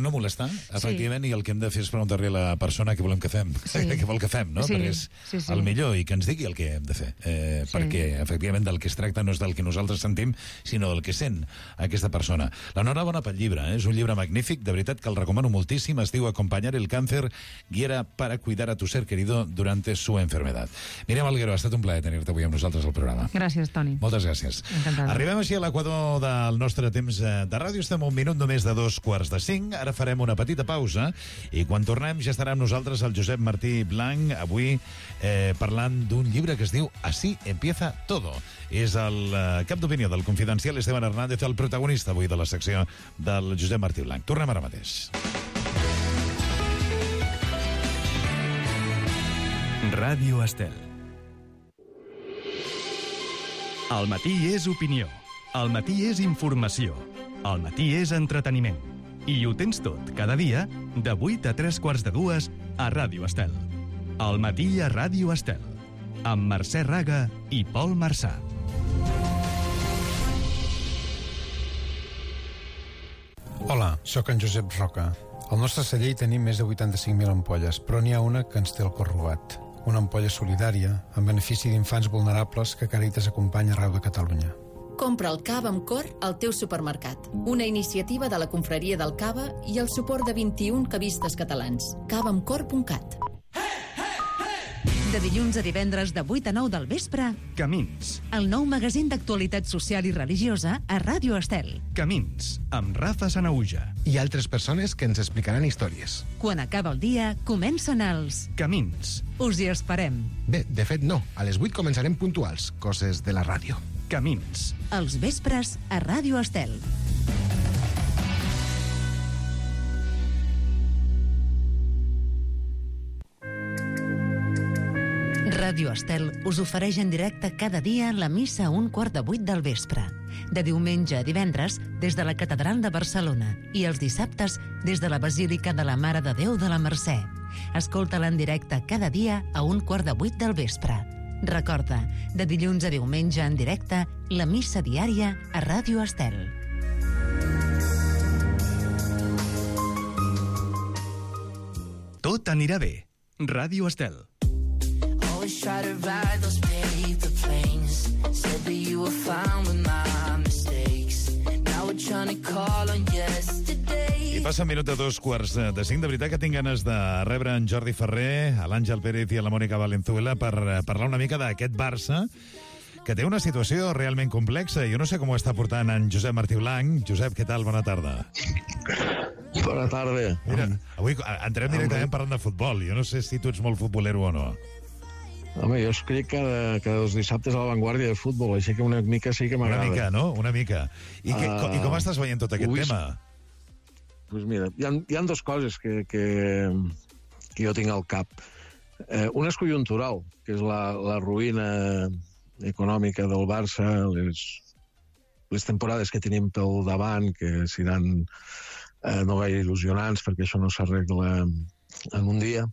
no molestar, efectivament, i el que hem de fer és preguntar-li a la persona què volem que fem, què vol que fem, no? Perquè és el millor, i que ens digui el que hem de fer. Perquè, efectivament, del que es tracta no és del que nosaltres sentim, sinó del que sent aquesta persona. L'enhorabona pel llibre, és un llibre magnífic, de veritat que el recomano moltíssim, es diu Acompanyar el cáncer, guia para cuidar a tu ser querido durante su enfermedad. Míriam Alguero, ha estat un plaer tenir-te avui amb nosaltres nosaltres al programa. Gràcies, Toni. Moltes gràcies. Encantada. Arribem així a l'equador del nostre temps de ràdio. Estem un minut només de 4:45. Ara farem una petita pausa i quan tornem ja estarà amb nosaltres el Josep Martí Blanc, avui parlant d'un llibre que es diu Así empieza todo. És el cap d'opinió del Confidencial Esteban Hernández, el protagonista avui de la secció del Josep Martí Blanc. Tornem ara mateix. Ràdio Estel. El matí és opinió. El matí és informació. El matí és entreteniment. I ho tens tot, cada dia, de 8 a 3:45 a Ràdio Estel. El matí a Ràdio Estel. Amb Mercè Raga i Pol Marçà. Hola, sóc en Josep Roca. Al nostre celler hi tenim més de 85.000 ampolles, però n'hi ha una que ens té el cor robat. Una ampolla solidària en benefici d'infants vulnerables que Càritas acompanya arreu de Catalunya. Compra el cava amb cor al teu supermercat. Una iniciativa de la Confraria del Cava i el suport de 21 cavistes catalans. cavaamcor.cat. De dilluns a divendres de 8 a 9 del vespre, Camins. el nou magazín d'actualitat social i religiosa a Ràdio Estel. Camins, amb Rafa Sanaúja. I altres persones que ens explicaran històries. Quan acaba el dia, comencen els Camins. Us hi esperem. Bé, de fet no. A les 8 començarem puntuals. Coses de la ràdio. Camins. Els vespres a Ràdio Estel. Ràdio Estel us ofereix en directe cada dia la missa a 7:15 del vespre. De diumenge a divendres, des de la Catedral de Barcelona, i els dissabtes, des de la Basílica de la Mare de Déu de la Mercè. Escolta-la en directe cada dia a 7:15 del vespre. Recorda, de dilluns a diumenge en directe, la missa diària a Ràdio Estel. Tot anirà bé. Ràdio Estel. Always try to ride those paper planes. Said that you were fine with my mistakes. Now we're trying to call on yesterday. I passa un minut de 4:45. De veritat que tinc ganes de rebre en Jordi Ferrer, a l'Àngel Pérez i a la Mònica Valenzuela per parlar una mica d'aquest Barça que té una situació realment complexa. Jo no sé com ho està portant en Josep Martí Blanc. Josep, què tal? Bona tarda. Bona tarda. Mira, avui entrem directament parlant de futbol. Jo no sé si tu ets molt futbolero o no. Home, jo escric cada dos dissabtes a La Vanguardia de futbol, així que una mica sí que m'agrada. Una mica, no? Una mica. I com estàs veient tot aquest tema? Doncs mira, hi ha dues coses que jo tinc al cap. Una és conjuntural, que és la ruïna econòmica del Barça, les temporades que tenim pel davant, que seran no gaire il·lusionants, perquè això no s'arregla en un dia.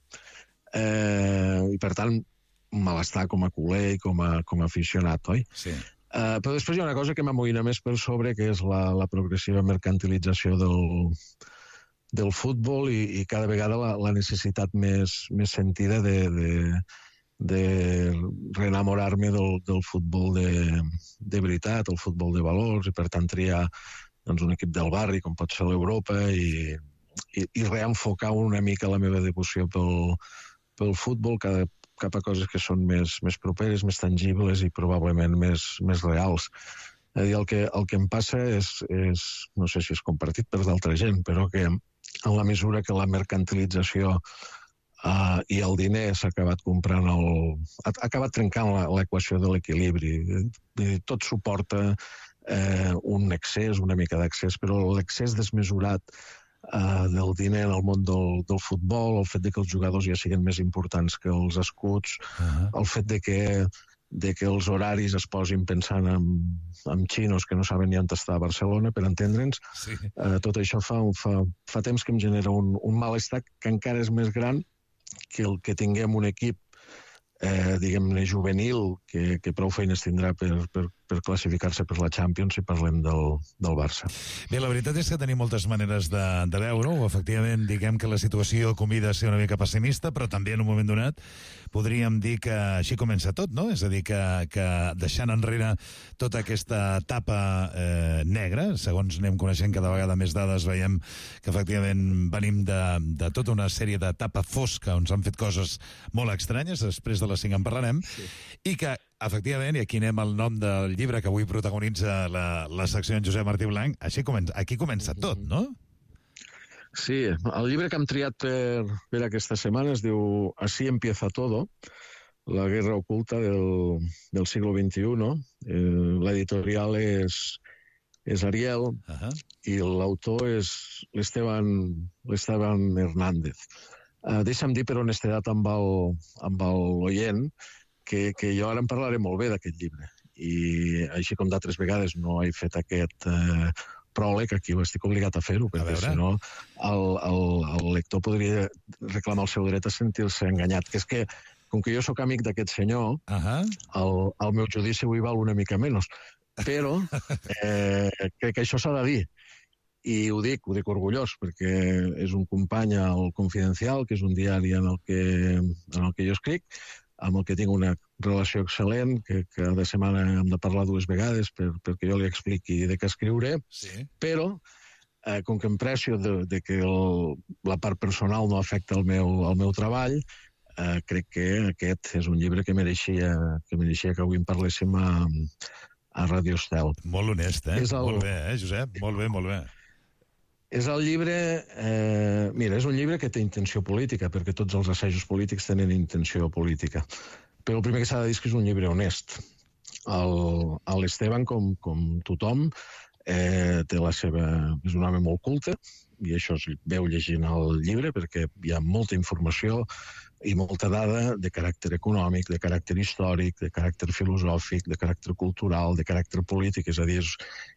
I, per tant, malestar com a culer i com a aficionat, oi? Sí. Però després hi ha una cosa que m'amoïna més per sobre, que és la progressiva mercantilització del futbol i cada vegada la necessitat més sentida de reenamorar-me del futbol de veritat, el futbol de valors, i per tant triar un equip del barri, com pot ser l'Europa, i reenfocar una mica la meva devoció pel futbol cap a coses que són més properes, més tangibles i probablement més reals. És a dir, el que em passa és, no sé si és compartit per d'altra gent, però que en la mesura que la mercantilització i el diner s'ha acabat ha acabat trencant l'equació de l'equilibri. Tot suporta un excés, una mica d'excés, però l'excés desmesurat del diner en el món del futbol, el fet de que els jugadors ja siguin més importants que els escuts, el fet de que els horaris es posin pensant en xinos que no saben ni on està a Barcelona, per entendre'ns. Sí. Tot això fa temps que em genera un malestar que encara és més gran que el que tinguem un equip diguem-ne juvenil que prou feines tindrà per classificar-se per la Champions si parlem del Barça. Bé, la veritat és que tenim moltes maneres de veure-ho. Efectivament, diguem que la situació convida a ser una mica pessimista, però també en un moment donat podríem dir que així comença tot, no? És a dir, que deixant enrere tota aquesta etapa negra, segons anem coneixent cada vegada més dades, veiem que efectivament venim de tota una sèrie d'etapa fosca on s'han fet coses molt estranyes, després de les 5 en parlarem, i que Efectivament, i aquí anem al nom del llibre que avui protagonitza la secció en Josep Martí Blanc. Aquí comença tot, no? Sí, el llibre que hem triat per aquesta setmana es diu Así empieza todo, la guerra oculta del siglo XXI. L'editorial és Ariel i l'autor és l'Esteban Hernández. Deixa'm dir per honestedat amb l'oient que jo ara en parlaré molt bé d'aquest llibre. I així com d'altres vegades no he fet aquest pròleg, aquí ho estic obligat a fer-ho, perquè si no el lector podria reclamar el seu dret a sentir-se enganyat. Que és que, com que jo sóc amic d'aquest senyor, el meu judici avui val una mica menys. Però crec que això s'ha de dir. I ho dic orgullós, perquè és un company al Confidencial, que és un diari en el que jo escric, amb el que tinc una relació excel·lent, que cada setmana hem de parlar 2 vegades perquè jo li expliqui de què escriuré, però com que em precio que la part personal no afecta el meu treball, crec que aquest és un llibre que mereixia que avui en parléssim a Ràdio Estel. Molt honest, Molt bé, Josep? Molt bé, molt bé. És el llibre... Mira, és un llibre que té intenció política, perquè tots els assajos polítics tenen intenció política. Però el primer que s'ha de dir és que és un llibre honest. L'Esteban, com tothom, té la seva... És un home molt culte, i això es veu llegint el llibre, perquè hi ha molta informació i molta dada de caràcter econòmic, de caràcter històric, de caràcter filosòfic, de caràcter cultural, de caràcter polític, és a dir,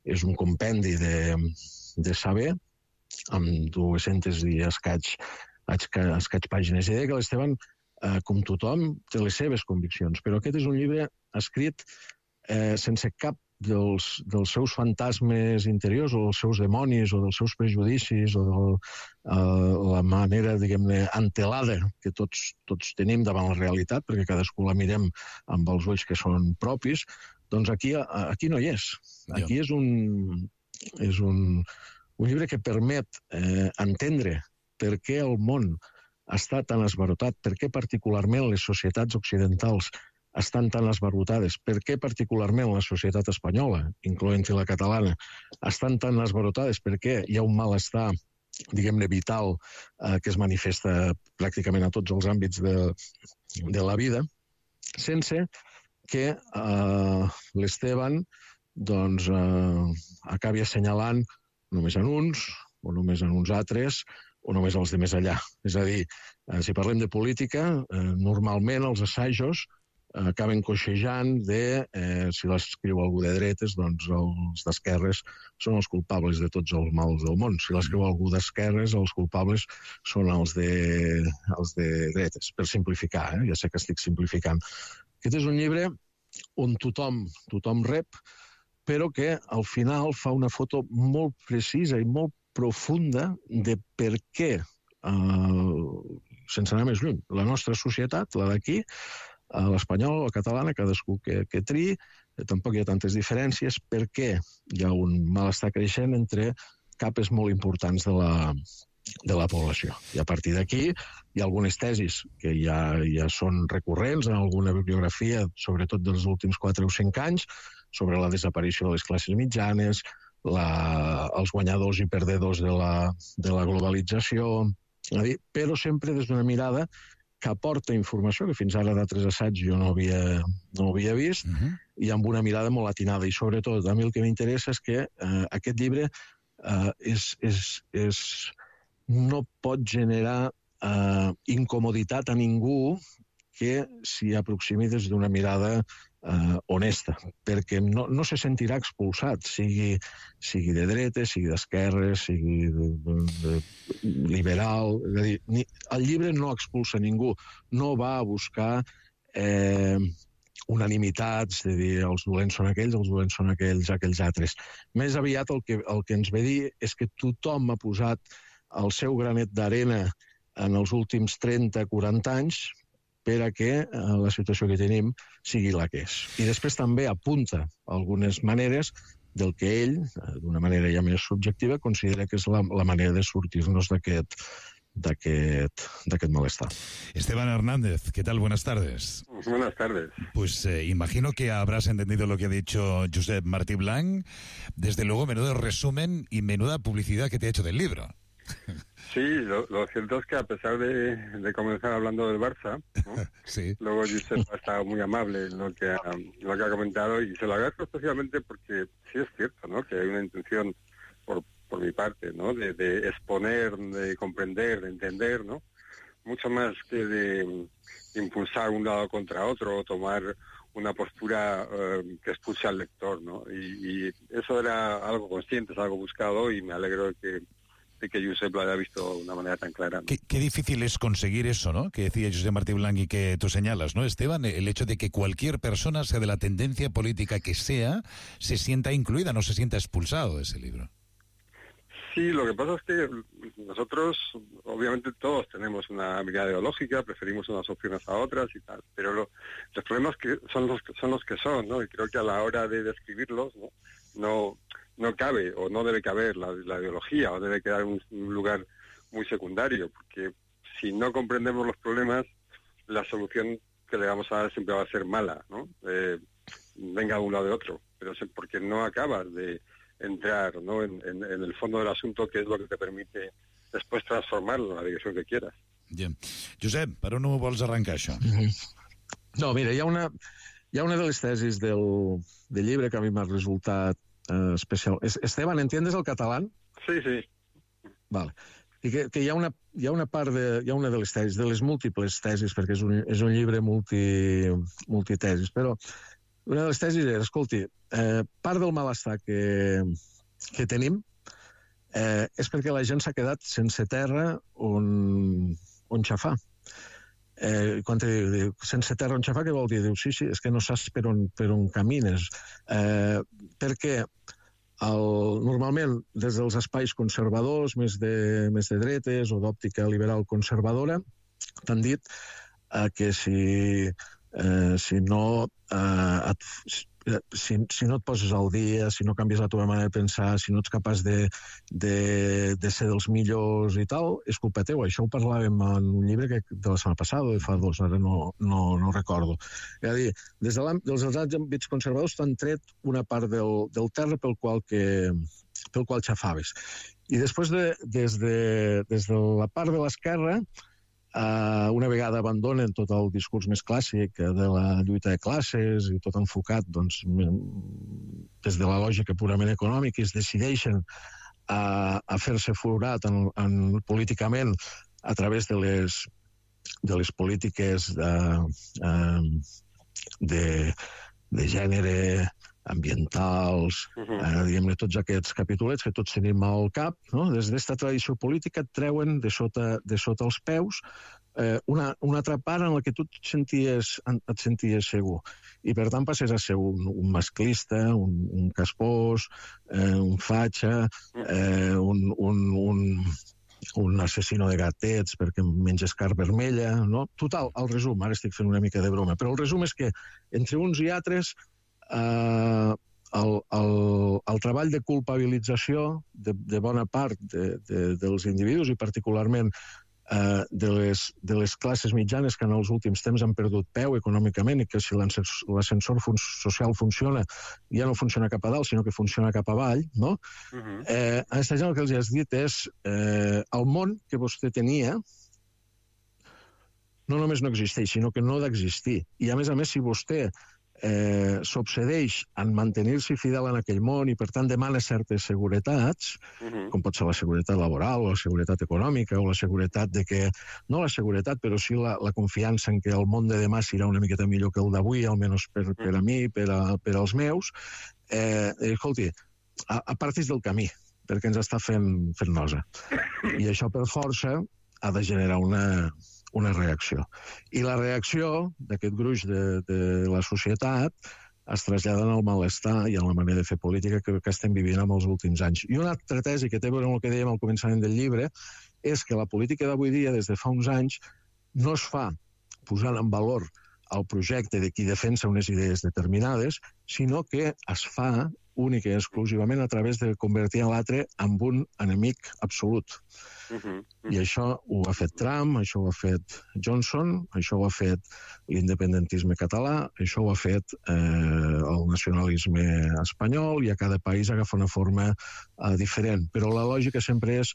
és un compendi de saber, amb 200 i escaig pàgines. I deia que l'Esteban, com tothom, té les seves conviccions, però aquest és un llibre escrit sense cap dels seus fantasmes interiors o dels seus demonis o dels seus prejudicis o de la manera, diguem-ne, antelada que tots tenim davant la realitat, perquè cadascú la mirem amb els ulls que són propis, doncs aquí no hi és. Aquí és un llibre que permet entendre per què el món està tan esbarotat, per què particularment les societats occidentals estan tan esbarrotades, per què particularment la societat espanyola, incloent-hi la catalana, estan tan esbarrotades, per què hi ha un malestar, diguem-ne, vital, que es manifesta pràcticament a tots els àmbits de la vida, sense que l'Esteban acabi assenyalant només en uns, o només en uns altres, o només els de més allà. És a dir, si parlem de política, normalment els assajos acaben coixejant de si l'escriu algú de dretes, doncs els d'esquerres són els culpables de tots els mals del món. Si l'escriu algú d'esquerres, els culpables són els de dretes, per simplificar, ja sé que estic simplificant. Aquest és un llibre on tothom rep, però que al final fa una foto molt precisa i molt profunda de per què, sense anar més lluny, la nostra societat, la d'aquí, l'espanyola, la catalana, cadascú que triï, tampoc hi ha tantes diferències, perquè hi ha un malestar creixent entre capes molt importants de la població. I a partir d'aquí hi ha algunes tesis que ja són recurrents en alguna bibliografia, sobretot dels últims 4 o 5 anys, sobre la desaparició de les classes mitjanes, els guanyadors i perdedors de la globalització, però sempre des d'una mirada que aporta informació que fins ara d'altres assaigs jo no havia vist, i amb una mirada molt atinada. I sobretot, a mi el que m'interessa és que aquest llibre no pot generar incomoditat a ningú que s'hi aproximi des d'una mirada honesta, perquè no se sentirà expulsat, sigui de dretes, sigui d'esquerres, sigui liberal. És a dir, el llibre no expulsa ningú, no va a buscar unanimitats, de dir els dolents són aquells altres. Més aviat el que ens ve dir és que tothom ha posat el seu granet d'arena en els últims 30-40 anys per a que la situació que tenim sigui la que és. I després també apunta algunes maneres del que ell, d'una manera ja més subjectiva, considera que és la manera de sortir-nos d'aquest malestar. Esteban Hernández, ¿qué tal? Buenas tardes. Buenas tardes. Pues imagino que habrás entendido lo que ha dicho Josep Martí Blanc. Desde luego, menudo resumen y menuda publicidad que te ha hecho del libro. Sí, lo cierto es que a pesar de comenzar hablando del Barça, ¿no? Sí. Luego Josep ha estado muy amable en lo que ha comentado, y se lo agradezco especialmente porque sí es cierto, ¿no?, que hay una intención por mi parte, ¿no?, de exponer, de comprender, de entender, ¿no?, mucho más que de impulsar un lado contra otro o tomar una postura que expulse al lector, ¿no? Y eso era algo consciente, es algo buscado, y me alegro de que Josep lo haya visto de una manera tan clara, ¿no? Qué difícil es conseguir eso, ¿no?, que decía Josep Martí Blanc y que tú señalas, ¿no, Esteban? El hecho de que cualquier persona, sea de la tendencia política que sea, se sienta incluida, no se sienta expulsado de ese libro. Sí, lo que pasa es que nosotros, obviamente todos tenemos una mirada ideológica, preferimos unas opciones a otras y tal, pero los problemas son los que son, ¿no? Y creo que a la hora de describirlos, no cabe o no debe caber la ideología, o debe quedar en un lugar muy secundario, porque si no comprendemos los problemas, la solución que le vamos a dar siempre va a ser mala, ¿no? Venga de un lado de otro, pero porque no acabas de entrar, ¿no?, en el fondo del asunto, que es lo que te permite després transformarlo en la direcció que quieras. Bien. Josep, per on ho vols arrencar, això? No, mira, hi ha una de les tesis del llibre que a mi m'ha resultat especial. Esteban, ¿entiendes el catalán? Sí, sí. Vale. I que hi ha una part hi ha una de les tesis, de les múltiples tesis, perquè és un llibre multitesis, però una de les tesis era, escolti, part del malestar que tenim és perquè la gent s'ha quedat sense terra on xafar. Quan diu sense terra on xafar, què vol dir? Diu, sí, és que no saps per on camines. Perquè normalment des dels espais conservadors, més de dretes o d'òptica liberal conservadora, t'han dit que si no et poses al dia, si no canvies la teva manera de pensar, si no ets capaç de ser dels millors i tal, és culpa teva. Això ho parlàvem en un llibre de la setmana passada o de fa 2, ara no recordo. És a dir, des dels àmbits conservadors t'han tret una part del terra pel qual xafaves. I després, des de la part de l'esquerra, una vegada abandonen tot el discurs més clàssic de la lluita de classes i tot enfocat des de la lògica purament econòmica, i es decideixen a fer-se forat políticament a través de les polítiques de gènere, ambientals, diguem-ne, tots aquests capitulets que tots tenim al cap, no? Des d'esta tradició política et treuen de sota els peus una altra part en la que tu et senties segur. I per tant passes a ser un masclista, un caspós, un fatxa, un assassino de gatets perquè menges carn vermella, no? Total, el resum, ara estic fent una mica de broma, però el resum és que entre uns i altres el treball de culpabilització de bona part dels individus, i particularment de les classes mitjanes, que en els últims temps han perdut peu econòmicament, i que si l'ascensor social funciona, ja no funciona cap a dalt, sinó que funciona cap avall, no? A aquesta gent el que els has dit és el món que vostè tenia no només no existeix, sinó que no ha d'existir. I a més, si vostè s'obsedeix en mantenir-se fidel en aquell món i, per tant, demana certes seguretats, com pot ser la seguretat laboral o la seguretat econòmica o la seguretat de que... No la seguretat, però sí la confiança en que el món de demà serà una miqueta millor que el d'avui, almenys per a mi, per als meus. Escolti, apartis del camí, perquè ens està fent nosa. I això, per força, ha de generar una reacció. I la reacció d'aquest gruix de la societat es trasllada en el malestar i en la manera de fer política que estem vivint en els últims anys. I una altra tesi que té a veure amb el que dèiem al començament del llibre és que la política d'avui dia, des de fa uns anys, no es fa posant en valor el projecte de qui defensa unes idees determinades, sinó que es fa únic i exclusivament a través de convertir l'altre en un enemic absolut. I això ho ha fet Trump, això ho ha fet Johnson, això ho ha fet l'independentisme català, això ho ha fet el nacionalisme espanyol, i a cada país agafa una forma diferent. Però la lògica sempre és,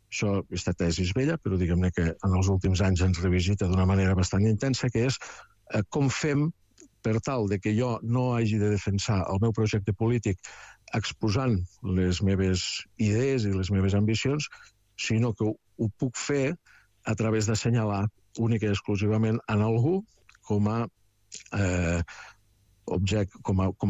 això, aquesta tesi és vella, però diguem-ne que en els últims anys ens revisita d'una manera bastant intensa, que és com fem per tal de que jo no hagi de defensar el meu projecte polític exposant les meves idees i les meves ambicions, sinó que ho puc fer a través d'assenyalar únic i exclusivament en algú com a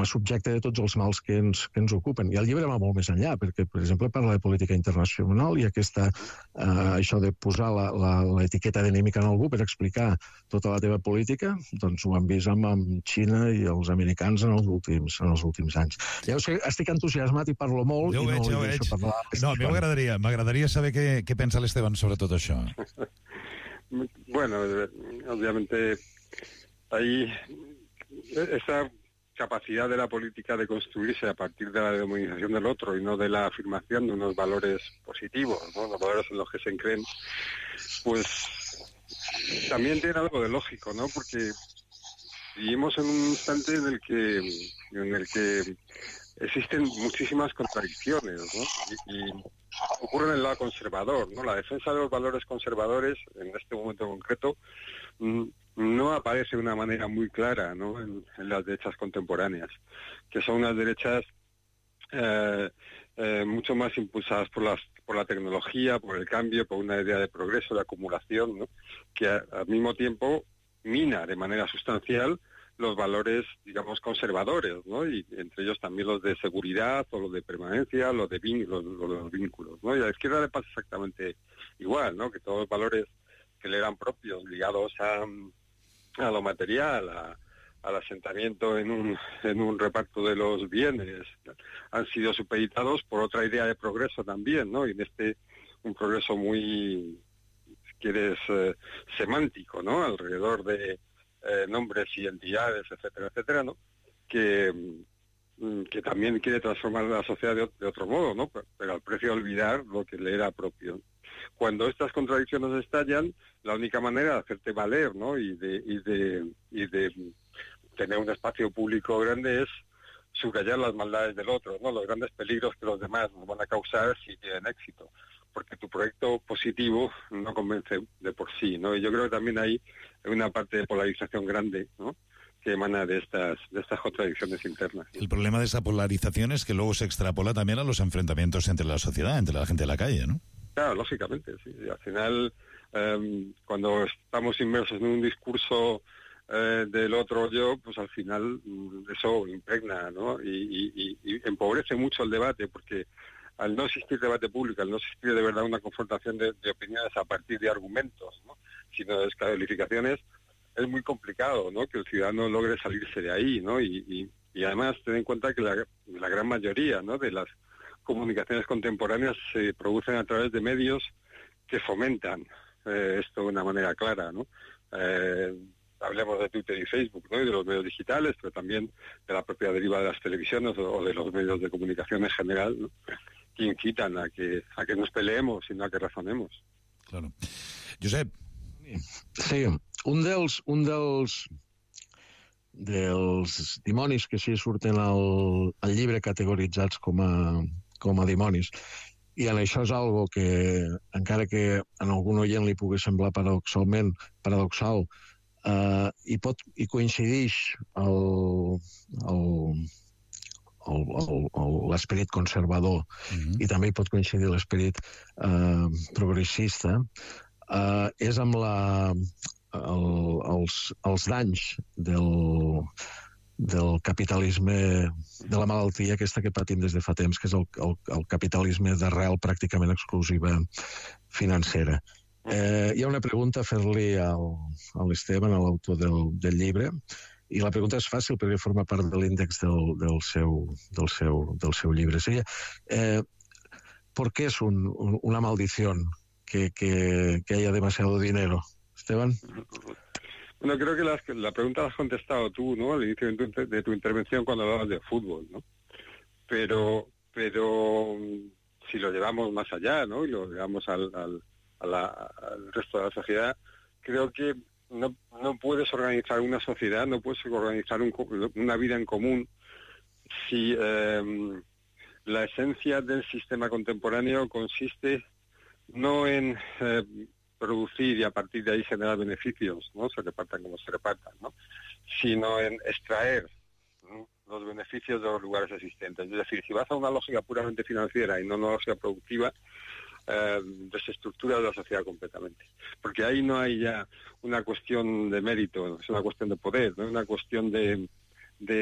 subjecte de tots els mals que ens ocupen. I el llibre va molt més enllà, perquè, per exemple, parla de política internacional i això de posar l'etiqueta d'enemic en algú per explicar tota la teva política, doncs ho han vist amb Xina i els americans en els últims anys. Ja ho sé, estic entusiasmat i parlo molt i no li deixo parlar. No, a mi m'agradaria saber què pensa l'Esteban sobre tot això. Bueno, obviamente ahí esa capacidad de la política de construirse a partir de la demonización del otro y no de la afirmación de unos valores positivos, ¿no? Los valores en los que se creen, pues también tiene algo de lógico, ¿no? Porque vivimos en un instante en el que existen muchísimas contradicciones, ¿no? Y ocurre en el lado conservador, ¿no? La defensa de los valores conservadores, en este momento concreto, no aparece de una manera muy clara, ¿no? en las derechas contemporáneas, que son unas derechas mucho más impulsadas por la tecnología, por el cambio, por una idea de progreso, de acumulación, ¿no? Que al mismo tiempo mina de manera sustancial los valores, digamos, conservadores, ¿no? Y entre ellos también los de seguridad o los de permanencia, los de los vínculos, ¿no? Y a la izquierda le pasa exactamente igual, ¿no? Que todos los valores que le eran propios, ligados a lo material, al asentamiento en un reparto de los bienes, han sido supeditados por otra idea de progreso también, ¿no? Y en un progreso muy, si quieres, semántico, ¿no? Alrededor de nombres y entidades, etcétera, etcétera, ¿no? Que también quiere transformar la sociedad de otro modo, ¿no? Pero al precio de olvidar lo que le era propio. Cuando estas contradicciones estallan, la única manera de hacerte valer, ¿no? y de tener un espacio público grande es subrayar las maldades del otro, ¿no? Los grandes peligros que los demás nos van a causar si tienen éxito, porque tu proyecto positivo no convence de por sí, ¿no? Y yo creo que también hay una parte de polarización grande, ¿no? Que emana de estas contradicciones internas. El problema de esa polarización es que luego se extrapola también a los enfrentamientos entre la sociedad, entre la gente de la calle, ¿no? Claro, lógicamente, sí. Al final, cuando estamos inmersos en un discurso del otro yo, pues al final eso impregna, ¿no? Y empobrece mucho el debate, porque al no existir debate público, al no existir de verdad una confrontación de opiniones a partir de argumentos, ¿no? Sino de descalificaciones, es muy complicado, ¿no? Que el ciudadano logre salirse de ahí, ¿no? Y además ten en cuenta que la gran mayoría, ¿no? De las comunicaciones contemporáneas se producen a través de medios que fomentan esto de una manera clara, ¿no? Hablemos de Twitter y Facebook, ¿no? Y de los medios digitales, pero también de la propia deriva de las televisiones o de los medios de comunicación en general, ¿no? Que incitan a que nos peleemos y no a que razonemos. Claro. Josep. Sí, un dels dimonis que sí surten al llibre categoritzats com a dimonis, i en això és algo que, encara que a algun oient li pugui semblar paradoxal, i coincideix l'esperit conservador i també hi pot coincidir l'esperit progressista, és amb els danys del capitalisme, de la malaltia aquesta que patim des de fa temps, que és el capitalisme d'arrel pràcticament exclusiva financera. Hi ha una pregunta a fer-li a l'Esteban, a l'autor del llibre, i la pregunta és fàcil perquè forma part de l'índex del seu llibre. Seria, ¿por qué es una maldición que haya demasiado dinero? Esteban. Bueno, creo que la pregunta la has contestado tú, ¿no? Al inicio de tu intervención cuando hablabas de fútbol, ¿no? pero si lo llevamos más allá, ¿no? Y lo llevamos al resto de la sociedad, creo que no puedes organizar una sociedad, no puedes organizar una vida en común si la esencia del sistema contemporáneo consiste no en producir y a partir de ahí generar beneficios, ¿no? Se repartan como se repartan, ¿no? Sino en extraer, ¿no?, los beneficios de los lugares existentes. Es decir, si vas a una lógica puramente financiera y no una lógica productiva, desestructuras la sociedad completamente. Porque ahí no hay ya una cuestión de mérito, es una cuestión de poder, no es una cuestión de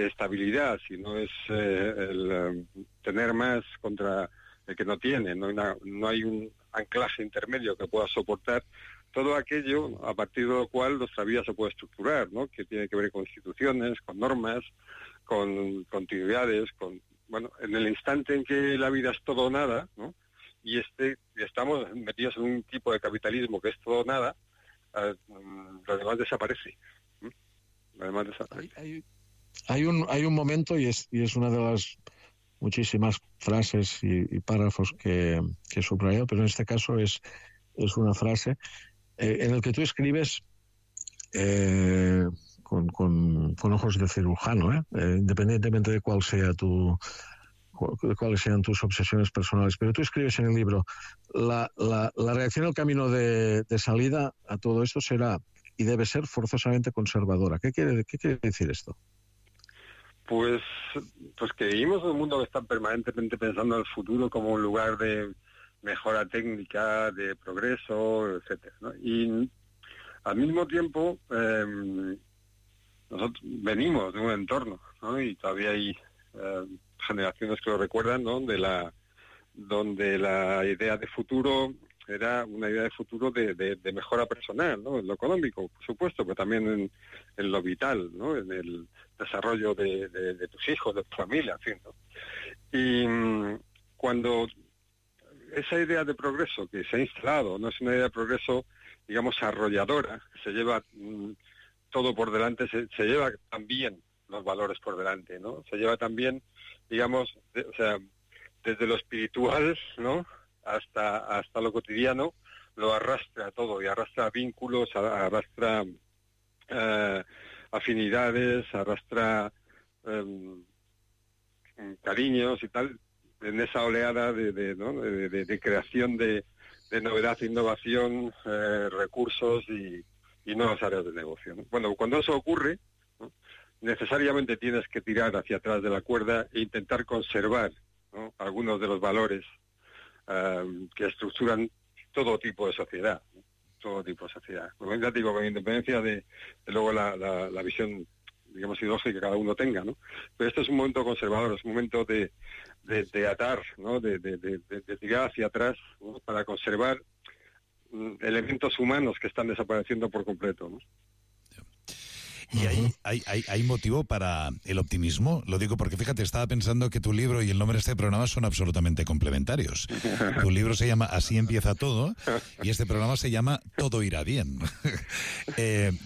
estabilidad, sino es el tener más contra el que no tiene, no hay un anclaje intermedio que pueda soportar todo aquello a partir de lo cual nuestra vida se puede estructurar, ¿no? Que tiene que ver con instituciones, con normas, con continuidades, en el instante en que la vida es todo o nada, ¿no? Y estamos metidos en un tipo de capitalismo que es todo o nada, lo demás desaparece. Lo demás desaparece. Hay un momento, y es una de las muchísimas frases y párrafos que he subrayado, pero en este caso es una frase en el que tú escribes con ojos de cirujano, independientemente de cuáles sean tus obsesiones personales. Pero tú escribes en el libro, la reacción al camino de salida a todo esto será y debe ser forzosamente conservadora. ¿Qué quiere decir esto? Pues que vivimos en un mundo que está permanentemente pensando en el futuro como un lugar de mejora técnica, de progreso, etcétera, ¿no? Y al mismo tiempo nosotros venimos de un entorno, ¿no? Y todavía hay generaciones que lo recuerdan, ¿no? Donde la idea de futuro era una idea de futuro de mejora personal, ¿no? En lo económico, por supuesto, pero también en lo vital, ¿no? En el desarrollo de tus hijos, de tu familia, en fin, ¿no? Y cuando esa idea de progreso que se ha instalado no es una idea de progreso, digamos, arrolladora, que se lleva todo por delante, se lleva también los valores por delante, ¿no? Se lleva también, digamos, desde lo espiritual, ¿no?, hasta lo cotidiano, lo arrastra todo, y arrastra vínculos, arrastra afinidades, arrastra cariños y tal, en esa oleada de creación de novedad, innovación, recursos y nuevas áreas de negocio, ¿no? Bueno, cuando eso ocurre, ¿no?, necesariamente tienes que tirar hacia atrás de la cuerda e intentar conservar, ¿no?, algunos de los valores que estructuran todo tipo de sociedad, ¿no? Todo tipo de sociedad. Como ya digo, con independencia de luego la visión, digamos, ideológica que cada uno tenga, ¿no? Pero este es un momento conservador, es un momento de atar, ¿no?, de tirar hacia atrás, ¿no?, para conservar elementos humanos que están desapareciendo por completo, ¿no? ¿Y hay motivo para el optimismo? Lo digo porque, fíjate, estaba pensando que tu libro y el nombre de este programa son absolutamente complementarios. Tu libro se llama Así empieza todo y este programa se llama Todo irá bien.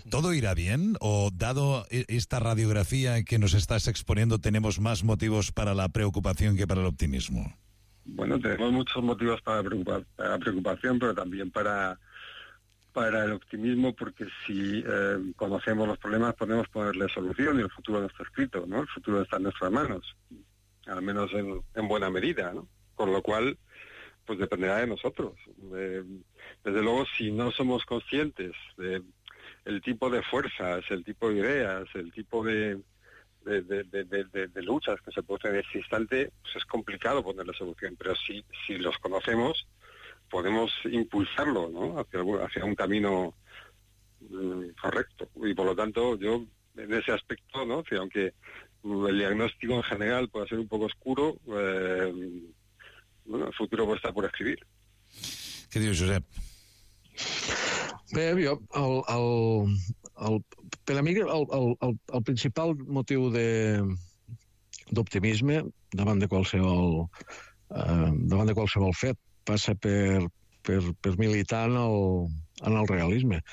¿Todo irá bien? ¿O dado esta radiografía que nos estás exponiendo tenemos más motivos para la preocupación que para el optimismo? Bueno, tenemos muchos motivos para preocupación, pero también para el optimismo, porque si conocemos los problemas podemos ponerle solución y el futuro no está escrito, ¿no? El futuro está en nuestras manos, al menos en buena medida, ¿no? Con lo cual, pues dependerá de nosotros. Desde luego, si no somos conscientes de el tipo de fuerzas, el tipo de ideas, el tipo de luchas que se producen en ese instante, pues es complicado ponerle solución, pero si los conocemos, podemos impulsarlo, ¿no?, hacia un camino correcto. Y por lo tanto, yo en ese aspecto, ¿no?, que aunque el diagnóstico en general pueda ser un poco oscuro, el futuro puede estar por escribir. Què dius, Josep? Bé, jo, per a mi el principal motiu d'optimisme davant de qualsevol fet passa per militar en el realisme.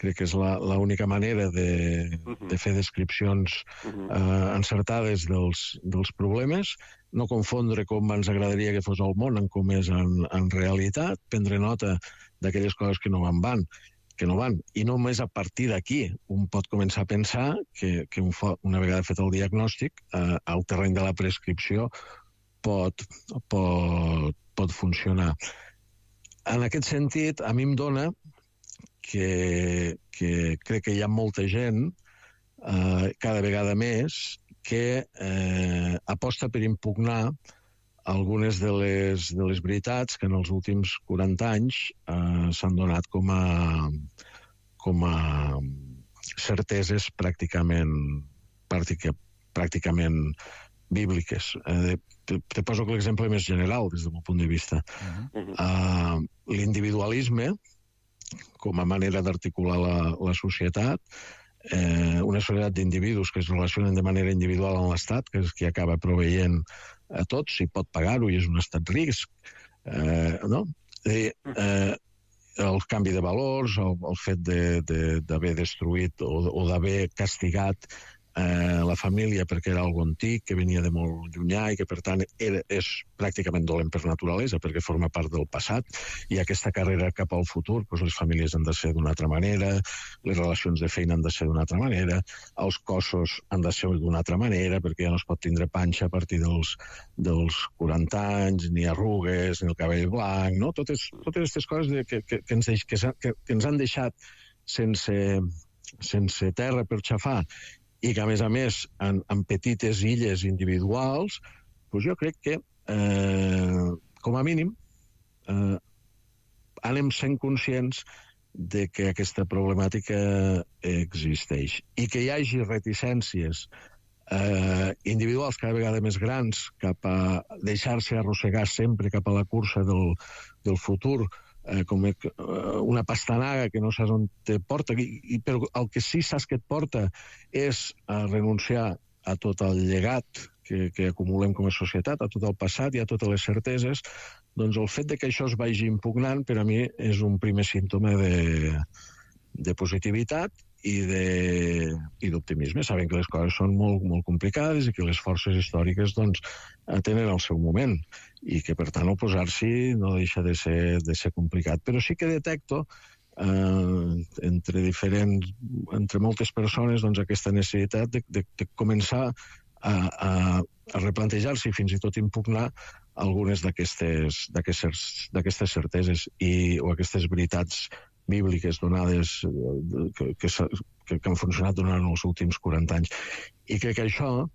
crec que és l'única manera de fer descripcions encertades dels problemes, no confondre com ens agradaria que fos el món amb com és en realitat, prendre nota d'aquelles coses que no van, i només a partir d'aquí un pot començar a pensar que una vegada fet el diagnòstic, el terreny de la prescripció pot funcionar. En aquest sentit, a mi em dona que crec que hi ha molta gent, cada vegada més, que aposta per impugnar algunes de les veritats que en els últims 40 anys s'han donat com a certeses pràcticament bíbliques. Te poso l'exemple més general des del meu punt de vista. L'individualisme, com a manera d'articular la societat, una societat d'individus que es relacionen de manera individual amb l'Estat, que és qui acaba proveient a tots, si pot pagar-ho i és un estat risc, no? El canvi de valors, el fet d'haver destruït o d'haver castigat la família perquè era algo antic, que venia de molt llunyà i que, per tant, és pràcticament dolent per naturalesa perquè forma part del passat, i aquesta carrera cap al futur, doncs les famílies han de ser d'una altra manera, les relacions de feina han de ser d'una altra manera, els cossos han de ser d'una altra manera, perquè ja no es pot tindre panxa a partir dels 40 anys, ni arrugues, ni el cabell blanc, no? Totes aquestes coses que ens han deixat sense terra per xafar, i que, a més, en petites illes individuals, doncs jo crec que, com a mínim, anem sent conscients de que aquesta problemàtica existeix. I que hi hagi reticències individuals cada vegada més grans cap a deixar-se arrossegar sempre cap a la cursa del futur, com una pastanaga que no saps on te porta, però el que sí saps que et porta és a renunciar a tot el llegat que acumulem com a societat, a tot el passat i a totes les certeses, doncs el fet de que això es vagi impugnant per a mi és un primer símptoma de positivitat i d'optimisme, sabent que les coses són molt, molt complicades i que les forces històriques doncs, tenen el seu moment i que, per tant, oposar-s'hi no deixa de ser complicat. Però sí que detecto entre moltes persones doncs, aquesta necessitat de començar a replantejar-se i fins i tot impugnar algunes d'aquestes certeses o aquestes veritats bíbliques donades que han funcionat durant els últims 40 anys. I crec que això,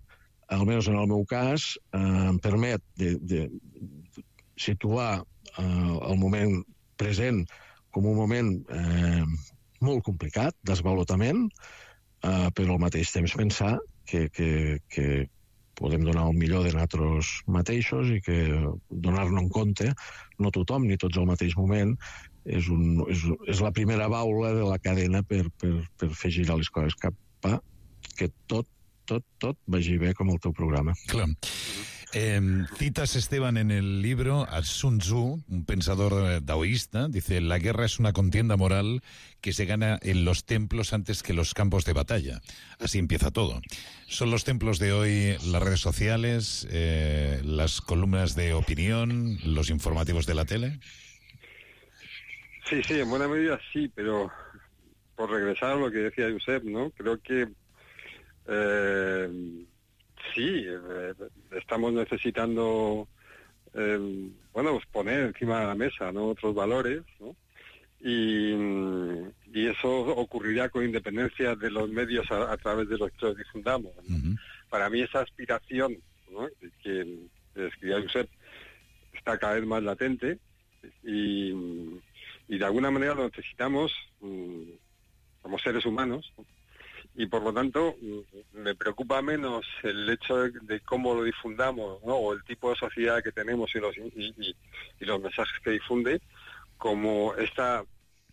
almenys en el meu cas, em permet de situar el moment present com un moment molt complicat, d'esvalotament, però al mateix temps pensar que podem donar el millor de nosaltres mateixos i que donar-ne en compte, no tothom ni tots al mateix moment, és la primera baula de la cadena per fer girar les coses cap a que tot vagi bé com el teu programa. Clar. Citas, Esteban, en el libro a Sun Tzu, un pensador taoísta, dice: la guerra es una contienda moral que se gana en los templos antes que los campos de batalla. Así empieza todo. ¿Son los templos de hoy las redes sociales, las columnas de opinión, los informativos de la tele? Sí, en buena medida sí, pero por regresar a lo que decía Josep, ¿no? Creo que sí, estamos necesitando pues poner encima de la mesa, ¿no?, otros valores, ¿no? Y eso ocurrirá con independencia de los medios a través de los que los difundamos, ¿no? Uh-huh. Para mí esa aspiración, ¿no?, que describía Josep está cada vez más latente y de alguna manera lo necesitamos como seres humanos, ¿no? Y por lo tanto me preocupa menos el hecho de cómo lo difundamos, ¿no?, o el tipo de sociedad que tenemos y los mensajes que difunde, como esta,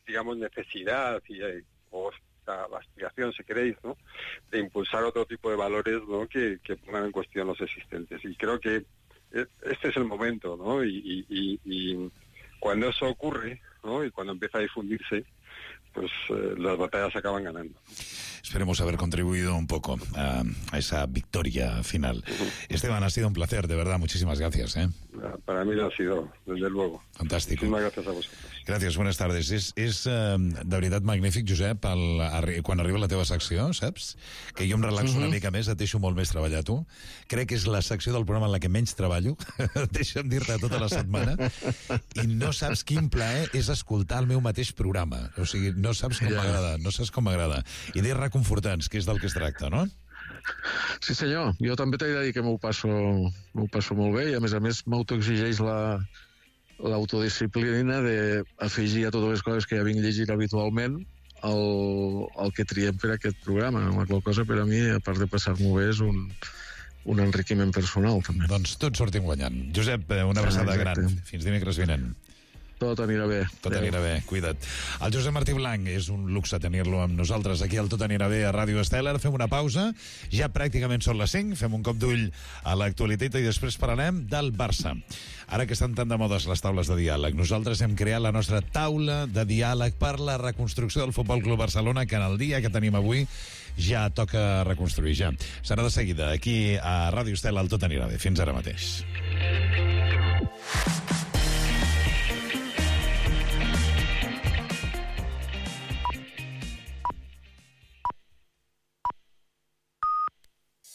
digamos, necesidad o esta aspiración, si queréis, ¿no?, de impulsar otro tipo de valores, ¿no?, que pongan en cuestión los existentes. Y creo que este es el momento, ¿no? Y cuando eso ocurre, ¿no?, y cuando empieza a difundirse, pues las batallas se acaban ganando. Esperemos haber contribuido un poco a esa victoria final. Esteban, ha sido un placer, de verdad, muchísimas gracias. Para mí lo ha sido, desde luego. Fantàstic. Muchísimas gracias a vosotros. Gràcies, buenas tardes. És de veritat magnífic, Josep, quan arriba la teva secció, saps? Que jo em relaxo una mica més, et deixo molt més treballar tu. Crec que és la secció del programa en la que menys treballo. Deixa'm dir-te tota la setmana. I no saps quin plaer és escoltar el meu mateix programa. O sigui, no saps com m'agrada, no saps com m'agrada. Idees reconfortants, que és del que es tracta, no? Sí, senyor. Jo també t'he de dir que m'ho passo molt bé i, a més, m'autoexigeix l'autodisciplina d'afegir a totes les coses que ja vinc llegint habitualment el que triem per aquest programa. La qual cosa, per a mi, a part de passar-m'ho bé, és un enriquiment personal, també. Doncs tots sortim guanyant. Josep, una abraçada gran. Fins dimecres vinent. Tot anirà bé. Tot anirà bé, cuida't. El Josep Martí Blanc, és un luxe tenir-lo amb nosaltres aquí al Tot anirà bé a Ràdio Estel. Fem una pausa, ja pràcticament són les 5, fem un cop d'ull a l'actualitat i després parlarem del Barça. Ara que estan tan de modes les taules de diàleg, nosaltres hem creat la nostra taula de diàleg per la reconstrucció del Futbol Club Barcelona, que en el dia que tenim avui ja toca reconstruir, ja. Serà de seguida, aquí a Ràdio Estel, al Tot anirà bé. Fins ara mateix.